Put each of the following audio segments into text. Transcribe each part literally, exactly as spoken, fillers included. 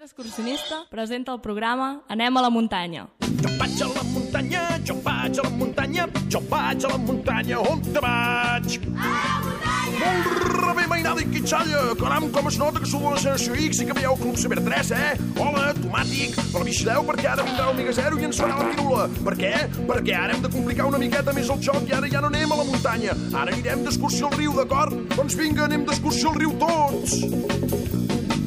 Excursionista presenta el programa Anem a la muntanya. Jo vaig a la muntanya, jo vaig a la muntanya, jo vaig a la muntanya, on te vaig? A la muntanya! Molt bé, mainada i quitxalla, caram, com es nota que sou de la Generació X i que veieu Club Ciber tres, eh? Hola, tomàtic, però vigileu perquè ara vindrà l'Omega Zero i ens farà la pirula. Per què? Perquè ara hem de complicar una miqueta més el joc i ara ja no anem a la muntanya. Ara anirem d'excursió al riu, d'acord? Doncs vinga, anem d'excursió al riu tots!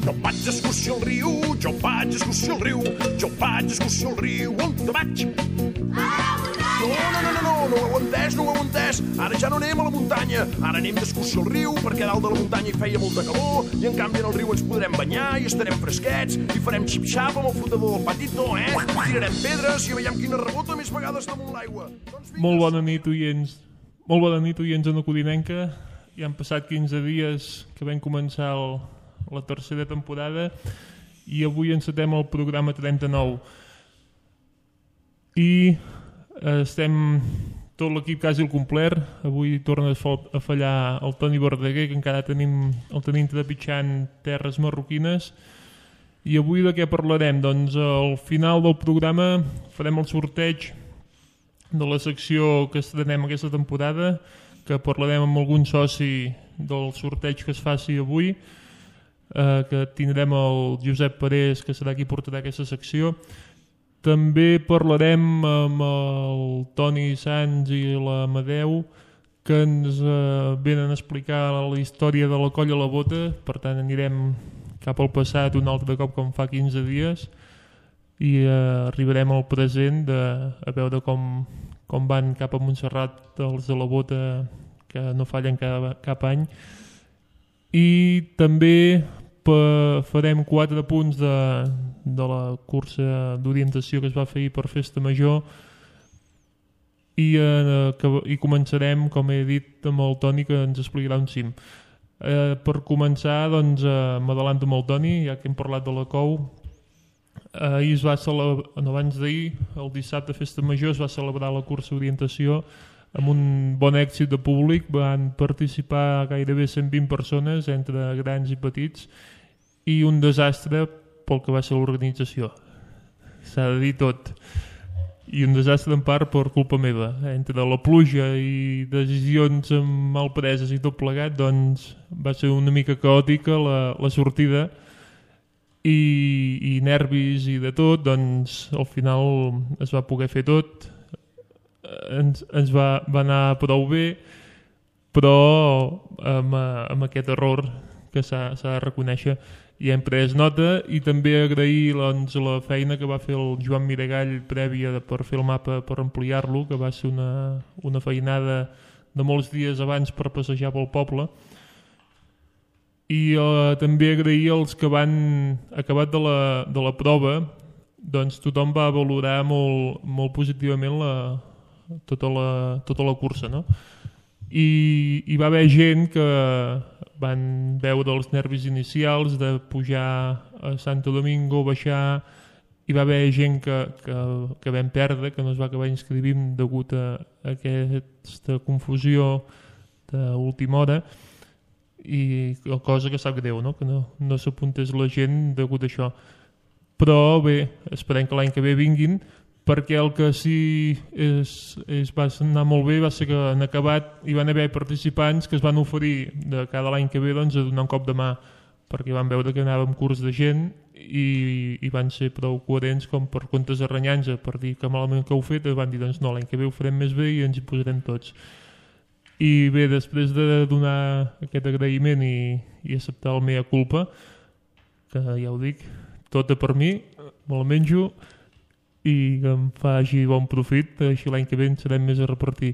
Jo vaig d'excursió al riu, jo vaig d'excursió al riu, jo vaig d'excursió al riu, on te vaig? A la muntanya! No, no, no, no, no, no ho heu entès, no ho heu entès. Ara ja no anem a la muntanya, ara anem d'excursió al riu, perquè dalt de la muntanya hi feia molta calor, i en canvi en el riu ens podrem banyar i estarem fresquets, i farem xip-xap amb el flotador del patito, eh? Tirarem pedres i veiem quina rebota més vegades damunt l'aigua. Doncs vinga, Molt bona nit, oients. Molt bona nit, oients en Codinenca. Ja han passat quinze dies que vam començar el, la tercera temporada i avui encetem el programa trenta-nou. I eh, estem tot l'equip quasi al complet. Avui torna a fallar el Toni Verdaguer, que encara tenim, el tenim trepitjant terres marroquines. I avui de què parlarem? Doncs al final del programa farem el sorteig de la secció que estrenem aquesta temporada, que parlarem amb algun soci del sorteig que es faci avui, eh, que tindrem el Josep Parés, que serà qui portarà aquesta secció. També parlarem amb el Toni Sans i l'Amadeu, que ens eh, venen a explicar la història de la Colla a la Bota. Per tant, anirem cap al passat un altre cop, com fa quinze dies, i eh, arribarem al present de, a veure com, com van cap a Montserrat els de la Bota, que no fallen cap, cap any. I també pe, farem quatre punts de, de la cursa d'orientació que es va fer ahir per Festa Major i, eh, que, i començarem, com he dit, amb el Toni, que ens explicarà un cim. Eh, per començar, doncs, eh, m'adalanto amb el Toni, ja que hem parlat de la Cou. Eh, ahir es va celebrar, no, abans d'ahir, el dissabte Festa Major, es va celebrar la cursa d'orientació amb un bon èxit de públic. Van participar gairebé cent vint persones, entre grans i petits, i un desastre pel que va ser l'organització. S'ha de dir tot. I un desastre en part per culpa meva. Entre la pluja i decisions mal preses i tot plegat, doncs va ser una mica caòtica la, la sortida i, i nervis i de tot, doncs al final es va poder fer tot. Ens, ens va, va anar prou bé, però amb, amb aquest error que s'ha de reconèixer ja hem pres nota. I també agrair, doncs, la feina que va fer el Joan Miragall prèvia de, per fer el mapa, per ampliar-lo, que va ser una, una feinada de molts dies abans per passejar pel poble. I eh, també agrair els que van acabat de la, de la prova, doncs tothom va valorar molt, molt positivament la, tota, la, tota la cursa, no? I hi va haver gent que van veure els nervis inicials de pujar a Santo Domingo, baixar. Hi va haver gent que, que, que vam perdre, que no es va acabar inscrivint degut a aquesta confusió d'última hora, i cosa que sap greu, no? Que no, no s'apuntés la gent degut a això. Però bé, esperem que l'any que ve vinguin, perquè el que sí és, és, va anar molt bé va ser que en acabat hi van haver participants que es van oferir de cada l'any que ve, doncs, a donar un cop de mà, perquè van veure que anàvem curts de gent i, i van ser prou coherents com per comptes de renyar-nos per dir que malament que heu fet, van dir doncs no, l'any que ve ho farem més bé i ens hi posarem tots. I bé, després de donar aquest agraïment i, i acceptar el mea culpa, que ja ho dic, tota per mi, me la menjo i que em faci bon profit, així l'any que ve en serem més a repartir.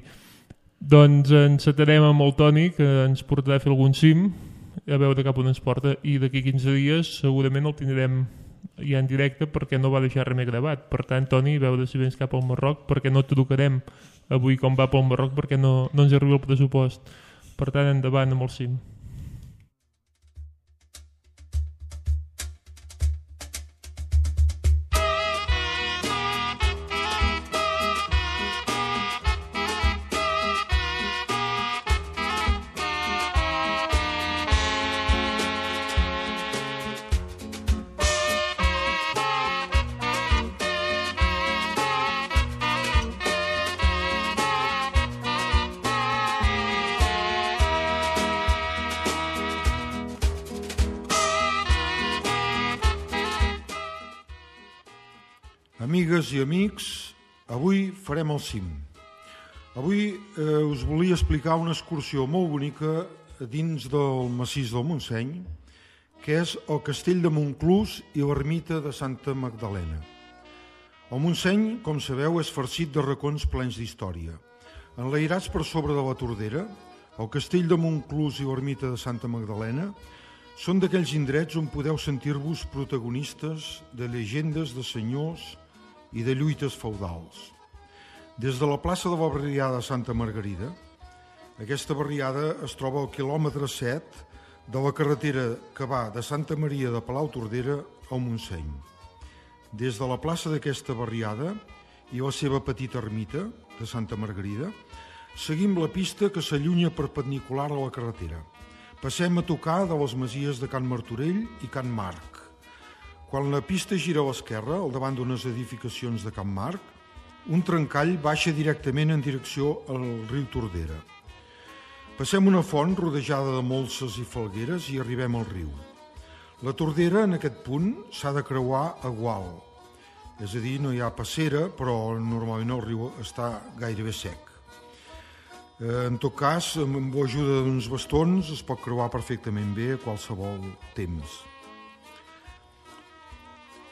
Doncs encetarem amb el Toni, que ens portarà a fer algun cim, a veure cap on ens porta, i d'aquí quinze dies segurament el tindrem ja en directe perquè no va deixar res més gravat. Per tant, Toni, a veure si vens cap al Marroc, perquè no et trucarem avui com va pel Marroc, perquè no, no ens arriba el pressupost. Per tant, endavant amb el cim. Amigues i amics, avui farem el cim. Avui eh, us volia explicar una excursió molt bonica dins del massís del Montseny, que és el castell de Montclús i l'ermita de Santa Magdalena. El Montseny, com sabeu, és farcit de racons plens d'història. Enlairats per sobre de la Tordera, el castell de Montclús i l'ermita de Santa Magdalena són d'aquells indrets on podeu sentir-vos protagonistes de llegendes de senyors i de lluites feudals. Des de la plaça de la barriada de Santa Margarida, aquesta barriada es troba al quilòmetre set de la carretera que va de Santa Maria de Palau-Tordera al Montseny. Des de la plaça d'aquesta barriada i la seva petita ermita de Santa Margarida, seguim la pista que s'allunya perpendicular a la carretera. Passem a tocar de les masies de Can Martorell i Can Marc. Quan la pista gira a l'esquerra, al davant d'unes edificacions de Can Marc, un trencall baixa directament en direcció al riu Tordera. Passem una font rodejada de molses i falgueres i arribem al riu. La Tordera, en aquest punt, s'ha de creuar a gual. És a dir, no hi ha passera, però normalment el riu està gairebé sec. En tot cas, amb l'ajuda d'uns bastons es pot creuar perfectament bé a qualsevol temps.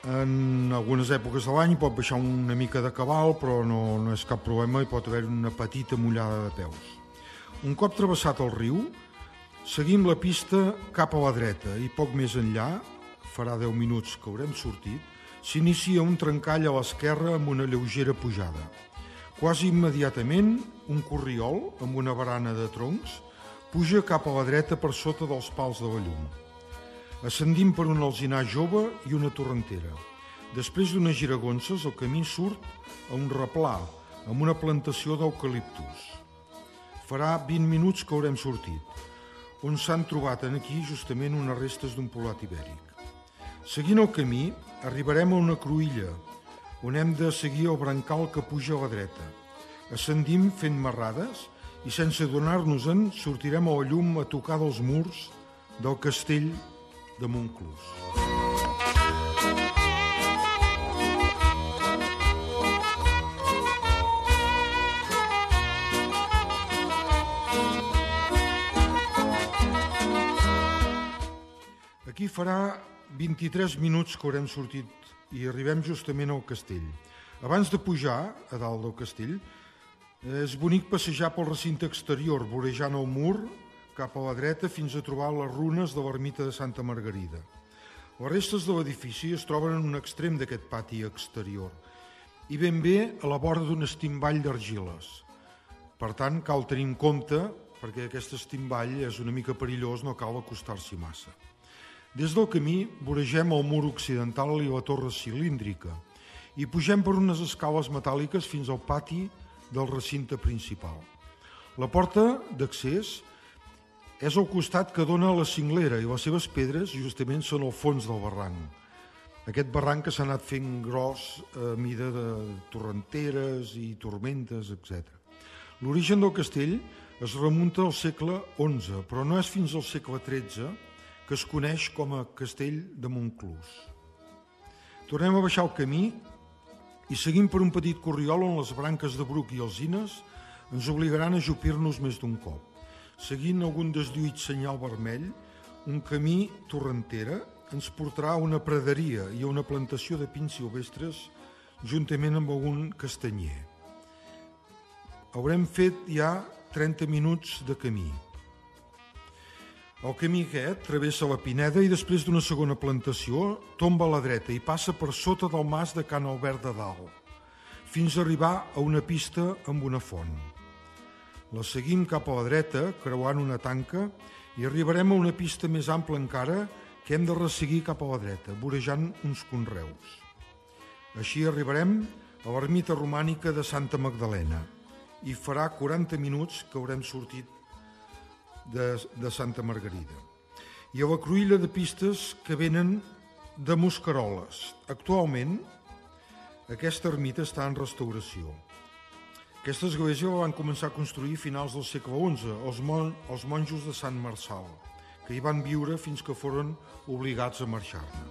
En algunes èpoques de l'any pot baixar una mica de cabal, però no, no és cap problema i pot haver una petita mullada de peus. Un cop travessat el riu, seguim la pista cap a la dreta i poc més enllà, farà deu minuts que haurem sortit, s'inicia un trencall a l'esquerra amb una lleugera pujada. Quasi immediatament, un corriol amb una barana de troncs puja cap a la dreta per sota dels pals de la llum. Ascendim per un alzinar jove i una torrentera. Després d'unes giragonses, el camí surt a un replà amb una plantació d'eucaliptus. Farà vint minuts que haurem sortit, on s'han trobat aquí justament unes restes d'un poblat ibèric. Seguint el camí, arribarem a una cruïlla, on hem de seguir el brancal que puja a la dreta. Ascendim fent marrades i sense adonar-nos-en sortirem a la llum a tocar dels murs del castell de Montclús. Aquí farà vint-i-tres minuts que haurem sortit i arribem justament al castell. Abans de pujar a dalt del castell, és bonic passejar pel recinte exterior, vorejant el mur cap a la dreta fins a trobar les runes de l'ermita de Santa Margarida. Les restes de l'edifici es troben en un extrem d'aquest pati exterior i ben bé a la vora d'un estimball d'argiles. Per tant, cal tenir en compte, perquè aquest estimball és una mica perillós, no cal acostar-s'hi massa. Des del camí voregem el mur occidental i la torre cilíndrica i pugem per unes escales metàl·liques fins al pati del recinte principal. La porta d'accés és el costat que dona a la cinglera i les seves pedres justament són al fons del barranc. Aquest barranc que s'ha anat fent gros a mida de torrenteres i tormentes, etcètera. L'origen del castell es remunta al segle onze, però no és fins al segle tretze que es coneix com a castell de Montclús. Tornem a baixar el camí i seguim per un petit corriol on les branques de bruc i alzines ens obligaran a ajupir-nos més d'un cop. Seguint algun deslluït senyal vermell, un camí torrentera ens portarà a una praderia i a una plantació de pins silvestres juntament amb algun castanyer. Haurem fet ja trenta minuts de camí. El camí aquest travessa la Pineda i després d'una segona plantació tomba a la dreta i passa per sota del mas de Can Albert de Dalt, fins a arribar a una pista amb una font. La seguim cap a la dreta, creuant una tanca, i arribarem a una pista més ampla encara que hem de resseguir cap a la dreta, vorejant uns conreus. Així arribarem a l'ermita romànica de Santa Magdalena i farà quaranta minuts que haurem sortit de, de Santa Margarida. I a la cruïlla de pistes que venen de Mosqueroles. Actualment, aquesta ermita està en restauració. Aquesta església la van començar a construir a finals del segle onze, els, mon, els monjos de Sant Marçal, que hi van viure fins que foren obligats a marxar-ne.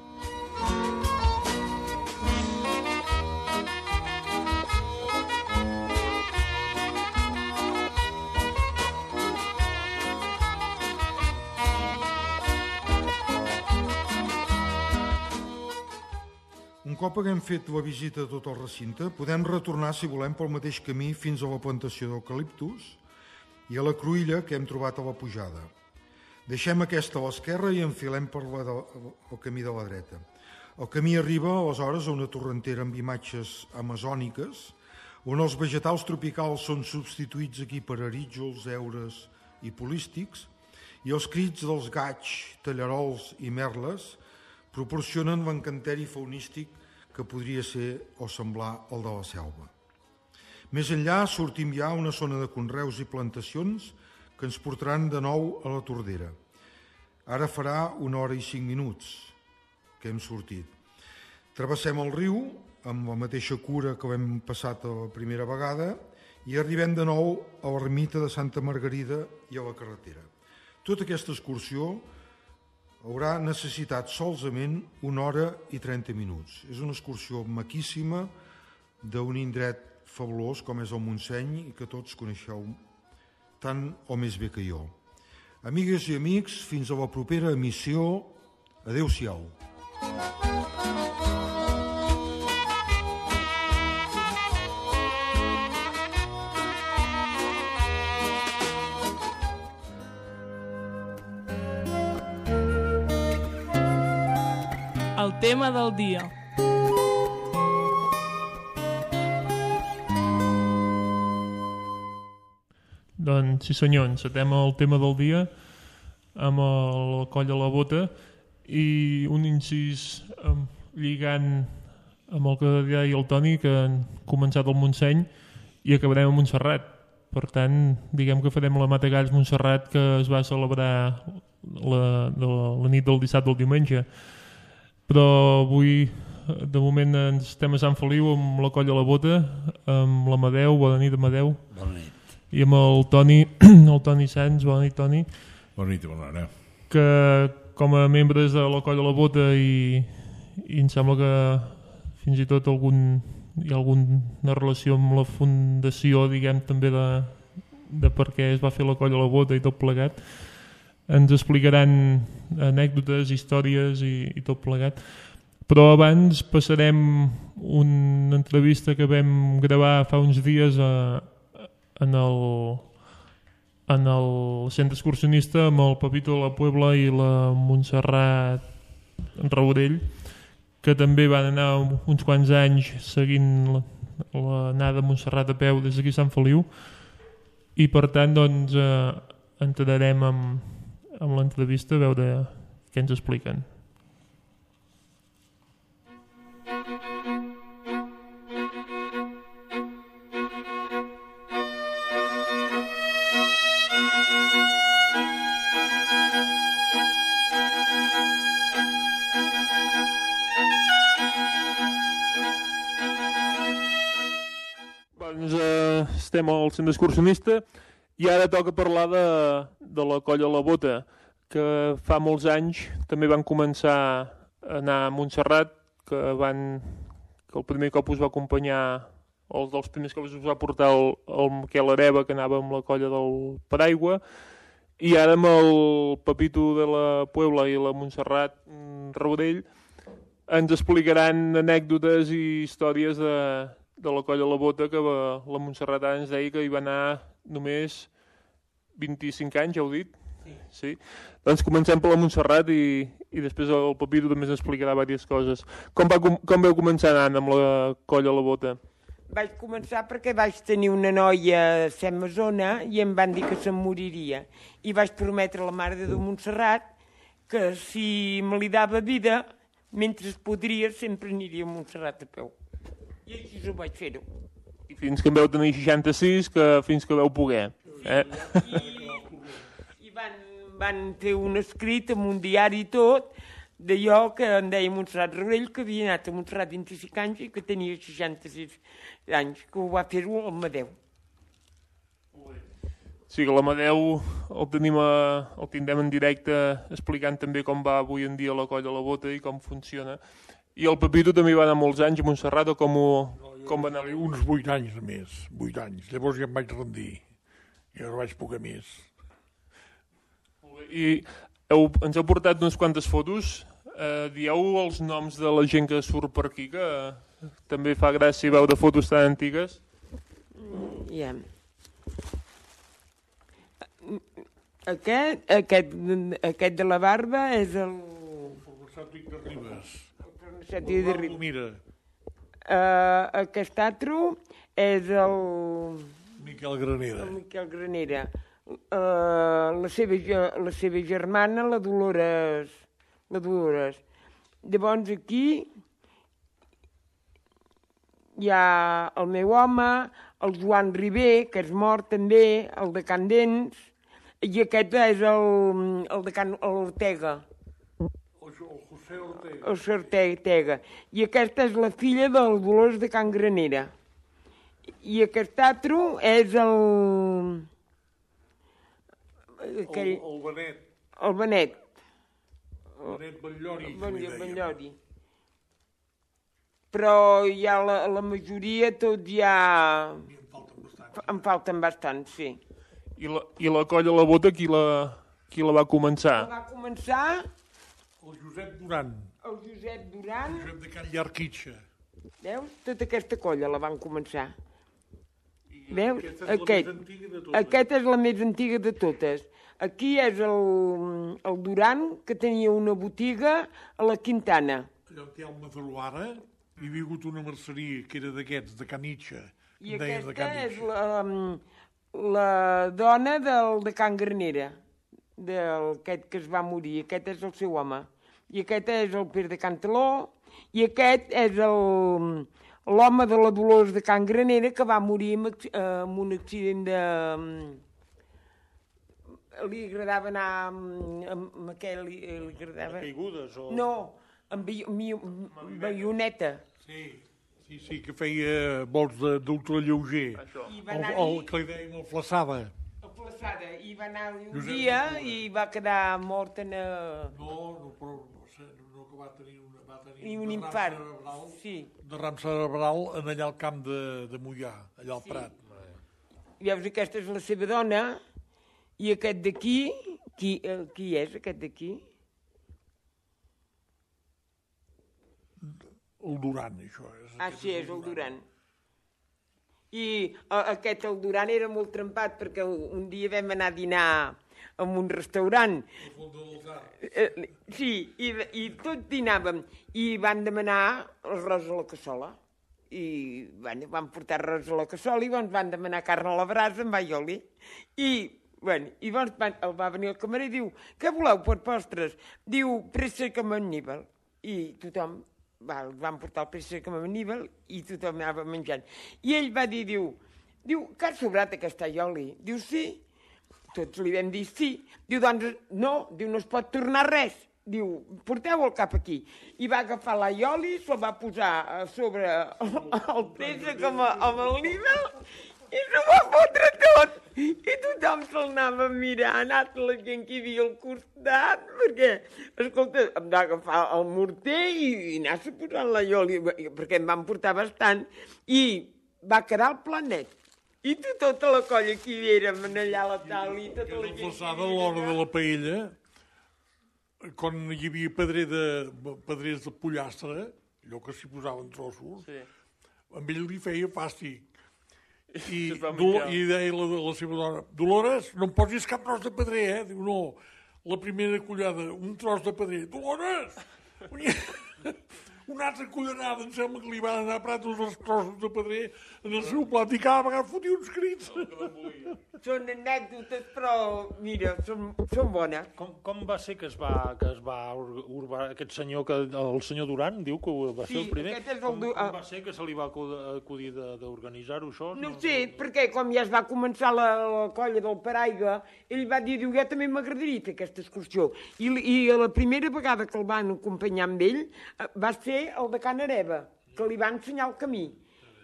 cop haguem fet la visita a tot el recinte, podem retornar, si volem, pel mateix camí fins a la plantació d'eucaliptus i a la cruïlla que hem trobat a la pujada. Deixem aquesta a l'esquerra i enfilem per la de, el camí de la dreta. El camí arriba, aleshores, a una torrentera amb imatges amazòniques, on els vegetals tropicals són substituïts aquí per arítjols, heures i polístics, i els crits dels gaigs, tallarols i merles proporcionen l'encanteri faunístic que podria ser o semblar el de la selva. Més enllà sortim ja a una zona de conreus i plantacions que ens portaran de nou a la Tordera. Ara farà una hora i cinc minuts que hem sortit. Travessem el riu amb la mateixa cura que l'hem passat la primera vegada i arribem de nou a l'ermita de Santa Margarida i a la carretera. Tota aquesta excursió haurà necessitat solament una hora i trenta minuts. És una excursió maquíssima d'un indret fabulós com és el Montseny i que tots coneixeu tant o més bé que jo. Amigues i amics, fins a la propera emissió. Adéu-siau. El tema del dia. Doncs sí senyor, encetem el tema del dia amb el coll a la bota i un incís um, lligant amb el que deia el Toni, que han començat el Montseny i acabarem a Montserrat. Per tant, diguem que farem la Matagalls Montserrat que es va celebrar la, la, la nit del dissabte al diumenge. Però avui, de moment, estem a Sant Feliu amb la colla a la bota, amb l'Amadeu. Bona nit, Amadeu. Bona nit. I amb el Toni, el Toni Sans. Bona nit, Toni. Bona nit i bona hora. Que com a membres de la colla a la bota i, i em sembla que fins i tot algun, hi ha alguna relació amb la fundació, diguem, també de, de per què es va fer la colla a la bota i tot plegat. Ens explicaran anècdotes, històries i, i tot plegat. Però abans passarem una entrevista que vam gravar fa uns dies a, en, el, en el centre excursionista amb el Pepito de la Puebla i la Montserrat Raurell, que també van anar uns quants anys seguint l'anada a Montserrat a peu des d'aquí a Sant Feliu, i per tant doncs, eh, entrarem amb amb l'entrevista a veure què ens expliquen. Doncs eh, estem al centre excursionista i ara toca parlar de, de la colla a la bota, que fa molts anys també van començar a anar a Montserrat, que, van, que el primer cop us va acompanyar, o els dels primers cops us va portar el, el Miquel Areva, que anava amb la colla del Paraigua, i ara amb el Pepito de la Puebla i la Montserrat Raurell ens explicaran anècdotes i històries de, de la colla a la bota, que la, la Montserrat ens deia que hi va anar només vint-i-cinc anys, ja heu dit? Sí. Sí? Doncs comencem per la Montserrat i, i després el Pepito també ens explicarà diverses coses. Com, va, com vau començar anant amb la colla a la bota? Vaig començar perquè vaig tenir una noia a Semazona i em van dir que se'm moriria. I vaig prometre a la Mare de Déu Montserrat que si me li dava vida, mentre podria, sempre aniria a Montserrat a peu. I així ho vaig fer-ho. I fins que en vau tenir seixanta-sis, que fins que vau poder. Eh? I, i van, van fer un escrit amb un diari i tot, d'allò que em deia Montserrat Raurell, que havia anat a Montserrat vint-i-cinc anys i que tenia seixanta-sis anys, que ho va fer-ho al Madeu. Sí, que l'Amadeu el, tenim a, el tindrem en directe explicant també com va avui en dia la colla a la bota i com funciona. I el Pepito també va anar molts anys a Montserrat, o com, ho, com va anar? Uns vuit anys més, vuit anys. Llavors ja em vaig rendir i ara vaig poder més. I heu, ens heu portat unes quantes fotos Uh, dieu els noms de la gent que surt per aquí, que uh, també fa gràcia veu de fotos tan antigues. Ja. Aquest, aquest, aquest de la barba és el... Farmacèutic de Ribes. El farmacèutic de Ribes. Mira, Uh, aquest altre és el... Miquel Granera. El Miquel Granera. Uh, la, seva, ge- la seva germana, la Dolores. La Dolores. Llavors aquí hi ha el meu home, el Joan Ribé, que és mort també, el de Can Dents, i aquest és el, el de Can Ortega. El José Ortega. El Sr. Ortega. I aquesta és la filla del Dolors de Can Granera. I aquest altre és el... Aquell... El, el Benet. El Benet. Benet Batllori, que li Batll- dèiem. Batllori. Però hi ha la, la majoria, tots ja... I em falten bastant. En falten bastant, sí. I la, i la colla a la bota, qui la, qui la va començar? Va començar El Josep Duran. el Josep Duran. El Josep de Can Llarquitxa. Veus? Tota aquesta colla la van començar. I Veus? Aquesta és la Aquest. més antiga de totes. Aquesta és la més antiga de totes. Aquí és el, el Duran, que tenia una botiga a la Quintana. Allò on hi ha el Madaluara, hi havia hagut una merceria que era d'aquests, de Canitxa. I en deien de aquesta és Canitxa. la, la dona del de Can Granera, d'aquest que es va morir. Aquest és el seu home. I aquest és el Pere de Cantaló, i aquest és el l'home de la Dolors de Can Granera, que va morir amb, acc- eh, amb un accident de... Li agradava anar amb, amb aquell... Li, li agradava... Caigudes o... No, amb bi- mi- baioneta. Sí, sí, sí, que feia vols de- d'ultralleuger. I va El, anar el que li dèiem el flaçada. Plaçada, i va anar un Josep dia Ventura. i va quedar mort en... eh, No, no, però no, sé, no que va tenir, una, va tenir I un derram infart, cerebral, sí. derram cerebral en allà al camp de, de Mollà, allà al Sí. Prat. Veus, aquesta és la seva dona, i aquest d'aquí, qui, eh, qui és aquest d'aquí? El Duran, això. És, Ah, aquest sí, és el Duran. I eh, aquest, el Duran, era molt trempat, perquè un dia vam anar a dinar en un restaurant. El fons de l'altar. Eh, sí, i, i tots dinàvem, i van demanar arròs a la cassola. I bueno, van portar arròs a la cassola i doncs van demanar carn a la brasa amb aioli. I, bueno, i doncs van, el va venir el camarer i diu, què voleu per postres? Diu, préssec amb anníbal. I tothom, va, el van portar el préssec amb anníbal i tothom anava menjant. I ell va dir, diu, diu, que ha sobrat aquest aioli? Diu, sí. Tots li vam dir sí. Diu, doncs, no, diu, no es pot tornar res. Diu, porteu el cap aquí. I va agafar l'aioli, se'l va posar a sobre el, el préssec amb, amb el nível i s'ho va fotre tot. I tothom se'l anava mirant, altra la gent que hi havia al costat, perquè, escolta, em va agafar el morter i, i anar-se posant l'aioli, perquè em van portar bastant, i va quedar el planet. I tu, tota la colla que hi érem allà a la taula i tota Que la era gent... flaçada a l'hora de la paella, quan hi havia pedrer de, pedrers de pollastre, allò que s'hi posaven trossos, Sí. amb ell li feia fàstic. I, Es va Dol menjar. i deia la, la seva dona, Dolores, no em posis cap tros de pedrer, eh? Diu, no, la primera collada, un tros de pedrer. Dolores! Una altra cullerada, em sembla que li van anar a prat els trossos de pedrer en el seu plat i cada vegada fotia uns crits. Són anècdotes, però, mira, són, són bones. Com, com va ser que es va, que es va ur- urbar aquest senyor, que, el senyor Duran, diu que va ser Sí, el primer? aquest és el com, Du- com ah. va ser que se li va acu- acudir de- d'organitzar-ho, això? No ho sé, perquè com ja es va començar la, la colla del Paraigua, ell va dir, diu, ja també m'agradaria fer aquesta excursió. I, I la primera vegada que el van acompanyar amb ell eh, va ser el de Can Areva, que li va ensenyar el camí.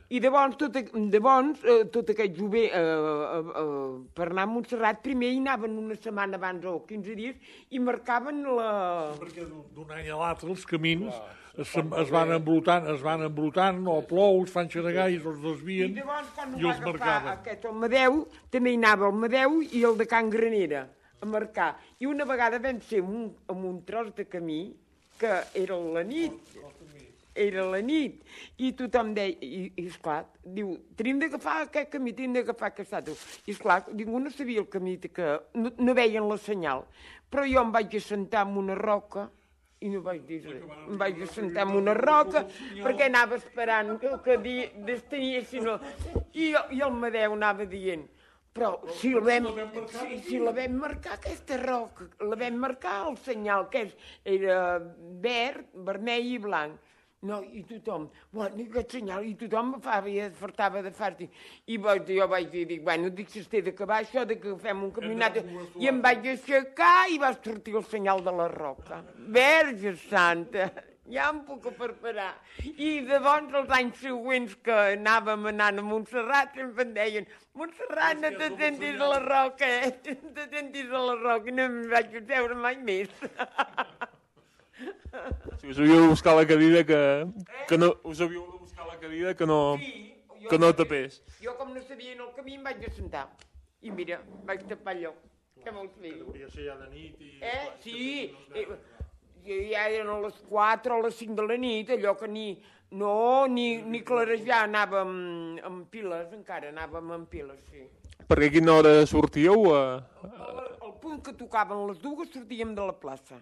I llavors, tot, a- llavors eh, tot aquest jove, eh, eh, eh, per anar a Montserrat, primer hi anaven una setmana abans o quinze dies i marcaven la... Perquè d'un d'un any a l'altre els camins es, es van embrutant, es van embrutant, o plou, es fan xaragais, o es I desvien, llavors, quan ho i va els agafar marcaven. aquest el Madeu, també hi anava el Madeu i el de Can Granera a marcar. I una vegada vam ser en un, en un tros de camí que era la nit, era la nit, i tothom deia, i, i esclar, diu, tenim d'agafar aquest camí, tenim d'agafar aquest altre. I esclar, ningú no sabia el camí, que no, no veien la senyal. Però jo em vaig assentar en una roca, i no vaig dir res. Em vaig assentar en una roca, perquè anava esperant que, que di, destanyessin el... I, I el Madeu anava dient, però si la vam, si, si la vam marcar, aquesta roca, la vam marcar el senyal, que és, era verd, vermell i blanc. No, i tothom, bueno, aquest senyal, i tothom me fa, i es fartava de fàrtic. I vaig, jo vaig dir, dic, bueno, dic, si es té d'acabar això, de que fem un caminat, i em vaig aixecar i va sortir el senyal de la roca. Verge Santa, ja em puc preparar. I llavors, els anys següents que anàvem anant a Montserrat, sempre em deien, Montserrat, no te sentis a la roca, eh? No te sentis a la roca, i no em vaig veure mai més. Si us havíeu de buscar la cadira que, que no, us havíeu de buscar la cadira que no, Sí, jo que no sabia- tapés. Jo, com no sabia en el camí, em vaig assentar. I mira, vaig tapar allò. Què vols fer? Hauria de ser ja de nit i... Eh? Sí, eh, ja eren a les quatre o a les cinc de la nit, allò que ni... No, ni, ni clarejar, anàvem amb piles, encara anàvem amb piles, sí. Perquè a quina hora sortíeu? A... Al, al punt que tocaven les dues sortíem de la plaça.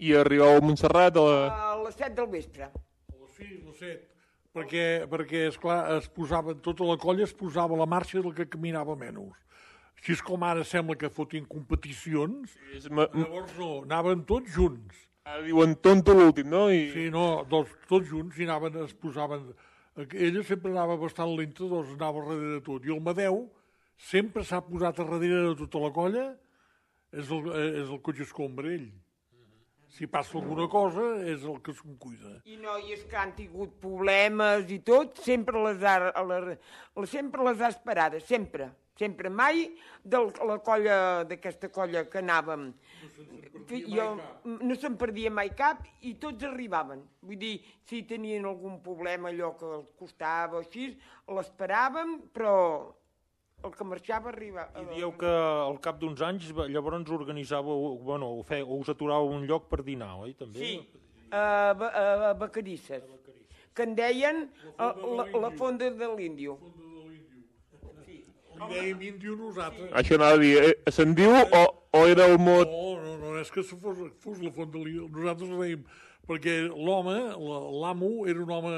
I arribàveu a Montserrat a la... A les set del vespre. A les sis, a les set. Perquè, perquè esclar, es posaven, tota la colla es posava a la marxa del que caminava menys. Així és com ara sembla que fotien competicions, És ma- llavors no, anaven tots junts. Ara diuen tonto l'últim, no? I... Sí, no, dos, tots junts i anaven, es posaven... Ella sempre anava bastant lenta, doncs anava darrere de tot. I el Madeu sempre s'ha posat a darrere de tota la colla, és el, és el cotxe escombra, ell. Si passa alguna cosa, és el que se'n cuida. I noies que han tingut problemes i tot, sempre les ha, a la, la, sempre les ha esperades, sempre. Sempre, mai de la colla, d'aquesta colla que anàvem. Jo, no se'n perdia mai cap i tots arribaven. Vull dir, si tenien algun problema, allò que els costava o així, l'esperàvem, però el que marxava arriba... I dieu que al cap d'uns anys va- llavors organitzàveu, bueno, o, fe, o us aturàveu a un lloc per dinar, oi? També? Sí, a, Ba- a, a Vacarisses, que en deien la, la, la fonda de l'Índio. Li dèiem índio nosaltres. Això anava a dir, eh, se'n diu o, o era el mot... No, no, no, és que fos, fos la font de l'índio. Nosaltres ho dèiem, perquè l'home, la- l'amo, era un home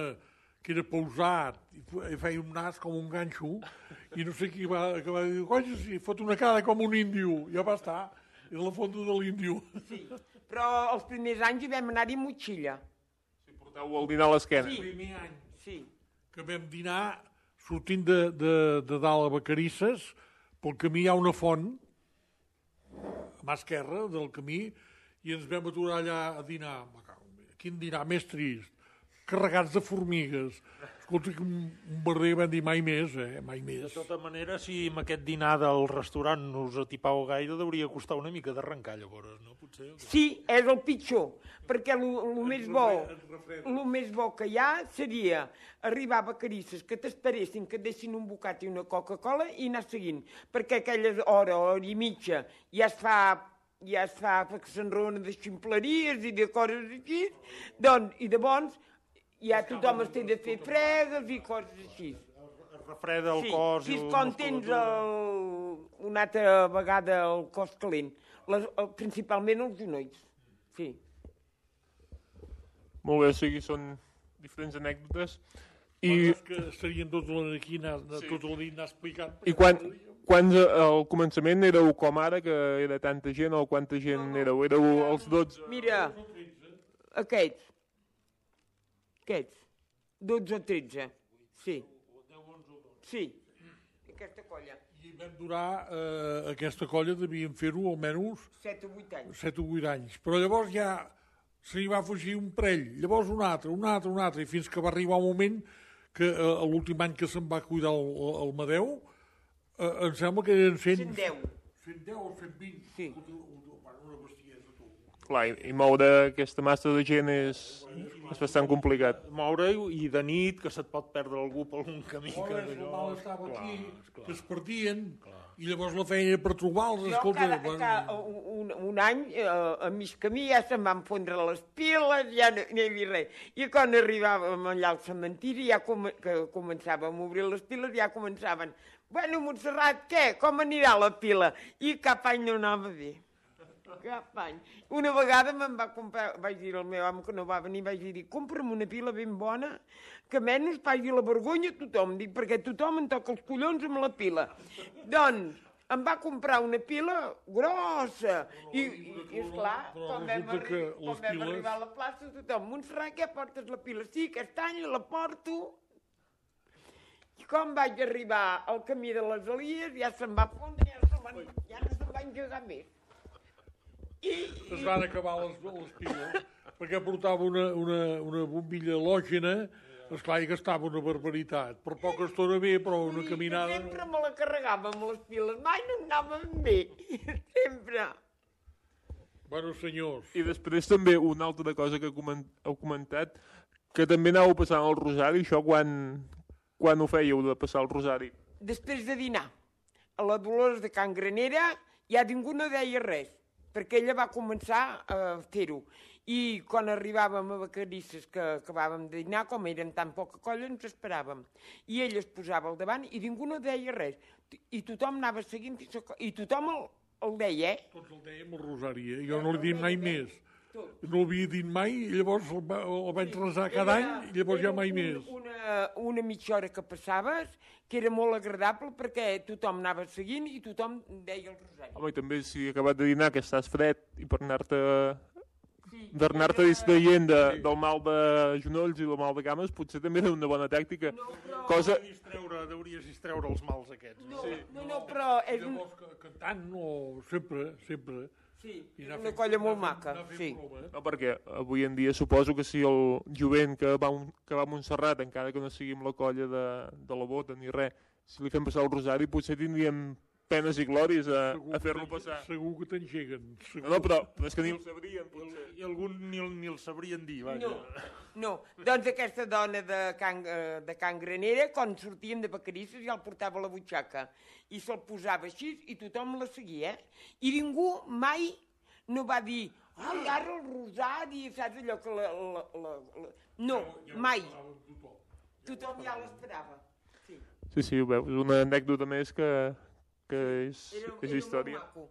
que era pausat, i fe- i feia un nas com un ganxo, i no sé qui va, que va dir, conya, si fot una cara com un índio, ja va estar, era la fonda de l'índio. Sí. Però els primers anys hi vam anar-hi motxilla. Si porteu el dinar a l'esquena. Sí. El primer any Sí. que vam dinar, sortint de, de, de dalt a Vacarisses, pel camí hi ha una font, a mà esquerra del camí, i ens vam aturar allà a dinar. Quin dinar més trist, carregats de formigues. Escolta, que un, un barrer vam dir mai més, eh? Mai De més. tota manera, si amb aquest dinar del restaurant no us atipau gaire, deuria costar una mica d'arrencar llavors, no? Potser... Sí, és el pitjor, perquè el més bo, el més bo que hi ha seria arribar a Vacarisses, que t'esperessin, que et deixin un bocat i una Coca-Cola i anar seguint, perquè aquella hora, hora i mitja, ja es fa ja es fa que s'enrona de ximpleries i de coses així, doncs, i de bons, ja tothom es té de fer fregues i coses així. Es refreda el Sí, cos si i és la quan tens el, una altra vegada el cos calent, les, el, principalment els genolls, sí. Molt bé, o sigui, són diferents anècdotes. I, Coses que estarien tots aquí, anar, sí. tot el dia anar explicant. i quan, quan al començament éreu com ara, que era tanta gent, o quanta gent éreu? Éreu els dotze? Mira, aquests, aquests, dotze o tretze, sí. Sí, aquesta colla, I vam durar, eh, aquesta colla devíem fer-ho almenys set o vuit anys. set o vuit anys. Però llavors ja se n'hi va fugir un parell, llavors un altre, un altre, un altre, i fins que va arribar un moment que eh, l'últim any que se'n va cuidar el, el Madeu, eh, em sembla que eren cent... cent deu. cent deu o cent vint. Sí. Una bestiesa, tu. Clar, i, i moure aquesta massa de gent és, és bastant complicat. Moure i de nit, que se't pot perdre algú per algun camí. Que Hores, el allò... mal estava Clar, aquí, esclar. que es perdien, i llavors la feina per trobar-los, Jo escolta... cada, bueno, cada, un, un any, eh, a mig camí, ja se'm van fondre les piles, ja no, no hi havia res. I quan arribàvem allà al cementiri, ja com, que començàvem a obrir les piles, ja començaven, bueno, Montserrat, què? Com anirà la pila? I cap any no anava bé. Cap any. Una vegada me'n va comprar, vaig dir al meu home que no va venir, vaig dir, compra'm una pila ben bona, que menys pagui la vergonya a tothom, dic, perquè tothom em toca els collons amb la pila. Doncs, em va comprar una pila grossa, i, i, i esclar, però quan vam, resulta que arri quan les vam piles- arribar a la plaça, tothom, Montserrat, què portes la pila? Sí, aquest any la porto. I quan vaig arribar al camí de les Elies, ja se'm va fondre, ja, se van, ja no se'm va engegar més. I, es van acabar les, les piles, perquè portava una, una, una bombilla halògena, esclar, i gastava una barbaritat. Per poca estona bé, però una i caminada... sempre me la carregava amb les piles, mai no anaven bé, sempre. Bueno, senyors, I després també una altra cosa que coment, heu comentat, que també anàveu passant el rosari, això quan, quan ho fèieu de passar el rosari? Després de dinar, a la Dolors de Can Granera, ja ningú no deia res, perquè ella va començar a fer-ho. I quan arribàvem a Vacarisses, que acabàvem de dinar, com érem tan poca colla, ens esperàvem. I ella es posava al davant i ningú no deia res. I tothom anava seguint, fins a... i tothom el, el deia, eh? tots el dèiem el rosari, eh? Jo no l'he dit mai més. No l'havia dit mai, i llavors el, va, el vaig resar cada any, i llavors ja mai un, més. Una, una mitja hora que passaves, que era molt agradable perquè tothom anava seguint i tothom deia el rosari. Home, i també si acabat de dinar que estàs fred i per anar-te Sí, per anar-te era- distraient de, del mal de genolls i del mal de cames, potser també era una bona tàctica. No, però... Cosa... Distreure, deuries distreure els mals aquests. No, no, no, però és un... Llavors, que- cantant, no, sempre, sempre. Sí, I és anar una fent- colla molt anar fent- maca, anar fent sí. broma. No, perquè avui en dia suposo que si el jovent que va, a un- que va a Montserrat, encara que no sigui amb la colla de, de la bota ni res, si li fem passar el rosari potser tindríem penes i glòries a, Segur a que fer-lo t'en- passar. Segur que t'engeguen. segur. No, no, però, però és que ni el sabrien, potser. I algun ni el, ni el sabrien dir, vaja. No, no. Doncs aquesta dona de Can, eh, de Can Granera, quan sortíem de Vacarisses, ja el portava a la butxaca i se'l posava així i tothom la seguia, eh? I ningú mai no va dir, ai, ara el rosari, saps allò que la... la, la, la... No, mai. Tothom ja l'esperava. Sí. Sí, sí, ho veus, és una anècdota més que, que és, Era, és era història. molt maco.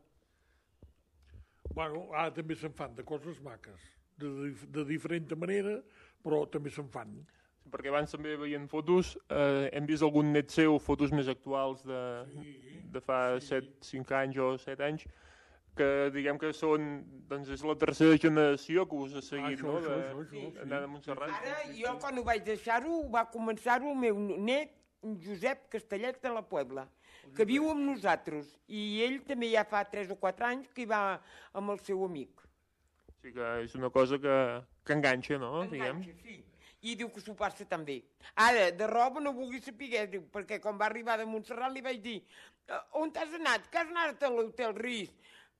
Bueno, ara també se'n fan de coses maques, de, dif- de diferent manera, però també se'n fan. Perquè abans també veient fotos, eh, hem vist algun net seu, fotos més actuals de, de fa set, cinc anys o set anys, que diguem que són, doncs és la tercera generació que us ha seguit, Ah, això, no? això, De- això, això, sí. d'anar a Montserrat. Ara, jo quan ho vaig deixar-ho, va començar-ho el meu net, Josep Castellet de la Puebla, que viu amb nosaltres. I ell també ja fa tres o quatre anys que hi va amb el seu amic. O sigui que és una cosa que, que enganxa, no? Diguem. Enganxa, sí. I diu que s'ho passa també. Ara, de roba no vulgui saber, diu, perquè quan va arribar de Montserrat li vaig dir, "Eh, on t'has anat? Que has anat a l'Hotel Ris?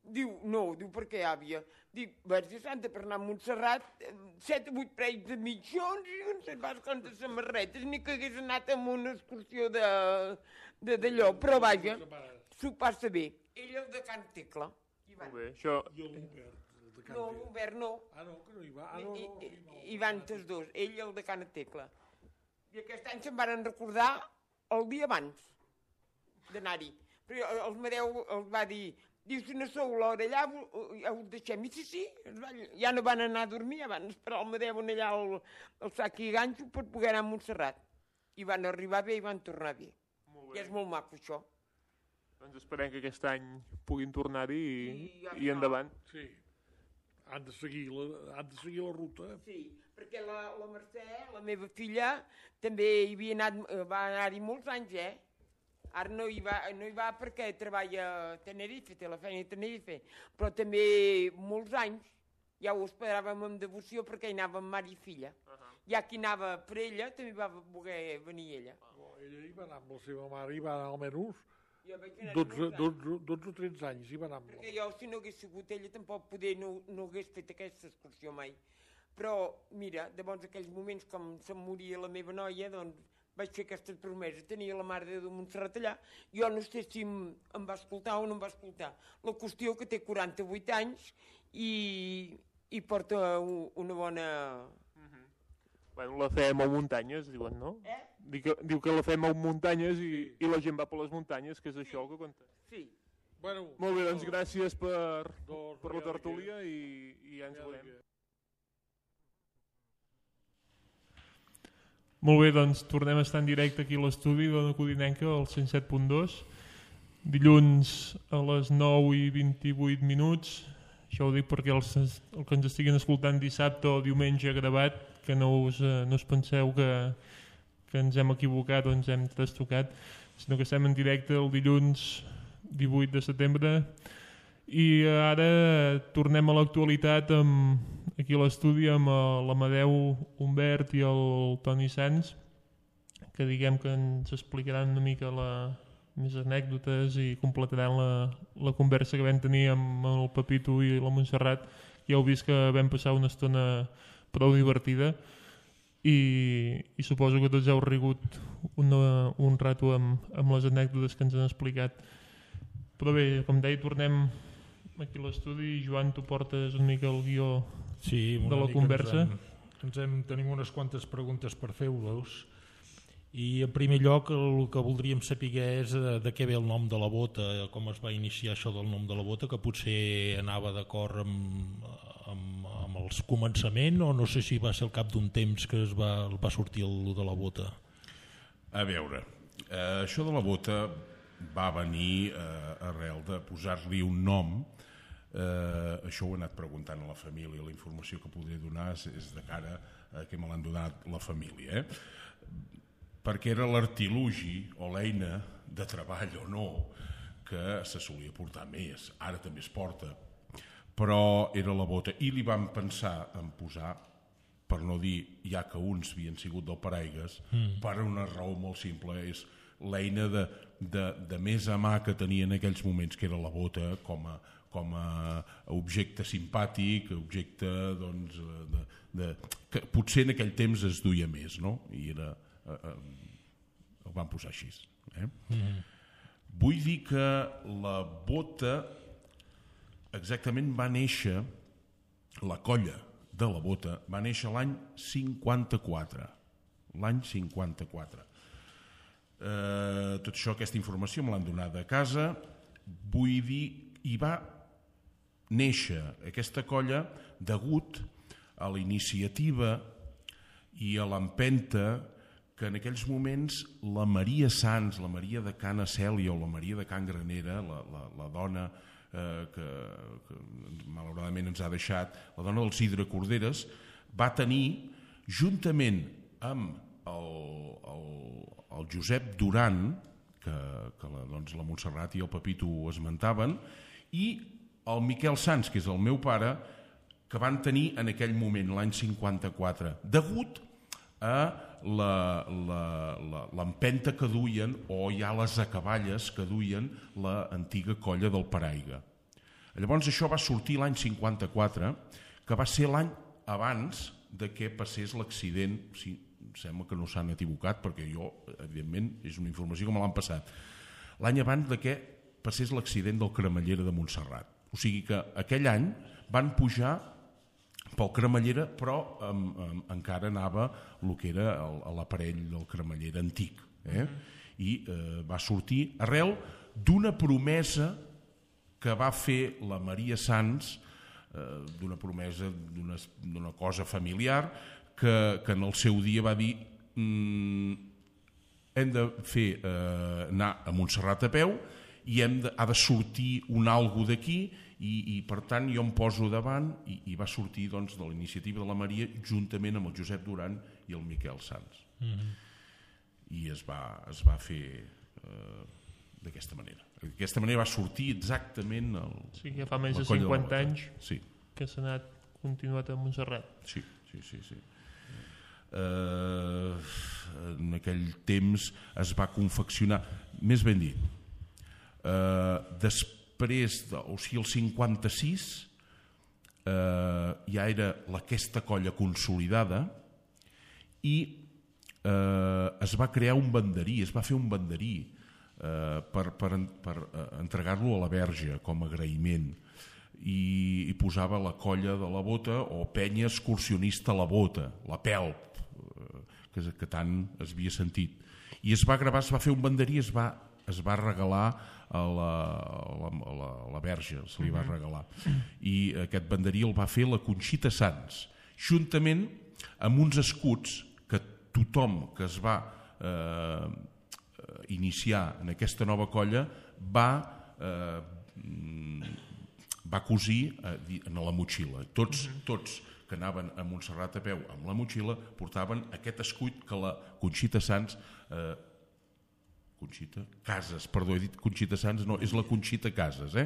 Diu, no, diu, per què, àvia? Dic, vaig de Santa per anar a Montserrat, eh, set o vuit parells de mitjons i no sé pas quantes samarretes, ni que hagués anat amb una excursió de de d'allò, però vaja, s'ho passa bé. Ell és de Can Tecla. Ivan. Molt bé, això... I el Robert, el de Can No, Tecla. l'Obert no. Ah, no, que no hi va. Ah, no, I, no, i, sí, no. i van tots dos, ell i el de Can Tecla. I aquest any se'n van recordar el dia abans d'anar-hi. Però el Madeu els va dir, diu, si no sou l'hora allà, ho- ja ho deixem. I sí, sí, es va- ja no van anar a dormir, ja van esperar el Madeu allà al, al sac i ganxo per poder anar a Montserrat. I van arribar bé i van tornar bé. Molt I és molt maco, això. Doncs esperem que aquest any puguin tornar-hi i, I ja i està. endavant. Sí. Han de seguir la, han de seguir la ruta. Sí, perquè la, la Mercè, la meva filla, també hi havia anat, eh, va anar-hi molts anys, eh? Ara no hi, va, no hi va perquè treballa a Tenerife, té la feina a Tenerife, però també molts anys ja ho esperàvem amb devoció perquè hi anàvem mare i filla. Uh -huh. Ja qui anava per ella també va voler venir ella. Oh, ella hi va anar amb la seva mare, hi va anar almenys Jo vaig anar dotze, molts anys. dotze, dotze o tretze anys, hi va anar amb la... Perquè jo, si no hagués sigut ella, tampoc poder no, no hagués fet aquesta excursió mai. Però, mira, llavors aquells moments com se'm moria la meva noia, doncs vaig fer aquesta promesa. Tenia la Mare de Déu de Montserrat allà. Jo no sé si em, em va escoltar o no em va escoltar. La qüestió que té quaranta-vuit anys i, i porta un, una bona... Bueno, la fem a muntanyes, diuen, no? Eh? Diu que, diu que la fem a muntanyes i, i la gent va per les muntanyes, que és això el que compta. Sí. Bueno, Molt bé, doncs gràcies per, Doncs, per la ja tertúlia i, i ja ens veurem. Molt bé, doncs tornem a estar en directe aquí a l'estudi de la Codinenca, al cent set punt dos. Dilluns a les nou i vint-i-vuit minuts. Això ho dic perquè els, el que ens estiguin escoltant dissabte o diumenge gravat, que no us, no us penseu que, que ens hem equivocat o ens hem trastocat, sinó que estem en directe el dilluns divuit de setembre i ara tornem a l'actualitat amb, aquí a l'estudi amb l'Amadeu Humbert i el Toni Sans, que diguem que ens explicaran una mica la, més anècdotes i completaran la, la conversa que vam tenir amb el Pepito i la Montserrat. Ja heu vist que vam passar una estona prou divertida i, i suposo que tots heu rigut una, un rato amb, amb les anècdotes que ens han explicat. Però bé, com deia, tornem aquí a l'estudi. Joan, tu portes una mica el guió sí, de la conversa. Ens hem, ens hem, tenim unes quantes preguntes per fer-vos i en primer lloc el que voldríem saber és de què ve el nom de la bota, com es va iniciar això del nom de la bota, que potser anava d'acord amb, amb, amb els començaments o no sé si va ser al cap d'un temps que es va, va sortir el de la bota. A veure, eh, això de la bota va venir eh, arrel de posar-li un nom. Eh, això ho he anat preguntant a la família, la informació que podré donar és, és de cara a que me l'han donat la família, eh? Perquè era l'artilugi o l'eina de treball o no que se solia portar més, ara també es porta, però era la bota i li vam pensar en posar, per no dir ja que uns havien sigut del paraigues, mm. per una raó molt simple, és l'eina de, de, de més a mà que tenia en aquells moments, que era la bota com a, com a objecte simpàtic, objecte doncs, de, de, que potser en aquell temps es duia més, no? I era, eh, eh, ho van posar així. Eh? Mm. Vull dir que la bota exactament va néixer, la colla de la bota va néixer l'any cinquanta-quatre. L'any cinquanta-quatre. Eh, tot això, aquesta informació me l'han donada a casa. Vull dir, hi va néixer aquesta colla degut a la iniciativa i a l'empenta que en aquells moments la Maria Sans, la Maria de Can Acèlia o la Maria de Can Granera, la, la, la dona eh, que, que malauradament ens ha deixat, la dona del Sidre Corderes, va tenir, juntament amb el, el, el Josep Duran, que, que la, doncs, la Montserrat i el Pepito esmentaven, i el Miquel Sans, que és el meu pare, que van tenir en aquell moment, l'any cinquanta-quatre, degut a l'empenta que duien, o ja les acaballes que duien la antiga colla del Paraiga. Llavors això va sortir l'any cinquanta-quatre, que va ser l'any abans de que passés l'accident. Sí, sembla que no s'han equivocat, perquè jo, evidentment, és una informació que me l'han passat. L'any abans de que passés l'accident del Cremallera de Montserrat. O sigui que aquell any van pujar pel Cremallera, però um, um, encara anava el que era l'aparell del Cremallera antic. Eh? Mm-hmm. I eh, va sortir arrel d'una promesa que va fer la Maria Sans, eh, d'una promesa d'una cosa familiar, que, que en el seu dia va dir mm, hem de fer eh, anar a Montserrat a peu i hem de, ha de sortir un algo d'aquí i, i per tant jo em poso davant i, i va sortir doncs, de la iniciativa de la Maria juntament amb el Josep Duran i el Miquel Sans. Mm-hmm. I es va, es va fer eh, d'aquesta manera. D'aquesta manera va sortir exactament el, sí, que fa més de cinquanta anys sí. que s'ha anat continuat a Montserrat. Sí, sí, sí, sí. Uh, en aquell temps es va confeccionar, més ben dit, Eh, després, de, o sigui, el cinquanta-sis, eh, ja era aquesta colla consolidada i eh, es va crear un banderí, es va fer un banderí eh, per, per, per entregar-lo a la Verge com a agraïment. I, i posava la colla de la Bota o penya excursionista la Bota, la Pelp, que, que tant es havia sentit. I es va gravar, es va fer un banderí, es va, es va regalar a la, a la, a la, a la Verge, se li va regalar. I aquest banderí el va fer la Conxita Sans, juntament amb uns escuts que tothom que es va eh, iniciar en aquesta nova colla va... Eh, va cosir en la motxilla. Tots, tots que anaven a Montserrat a peu amb la motxilla portaven aquest escut que la Conxita Sans eh, Conxita Casas, perdó, he dit Conxita Sans, no, és la Conxita Casas, eh?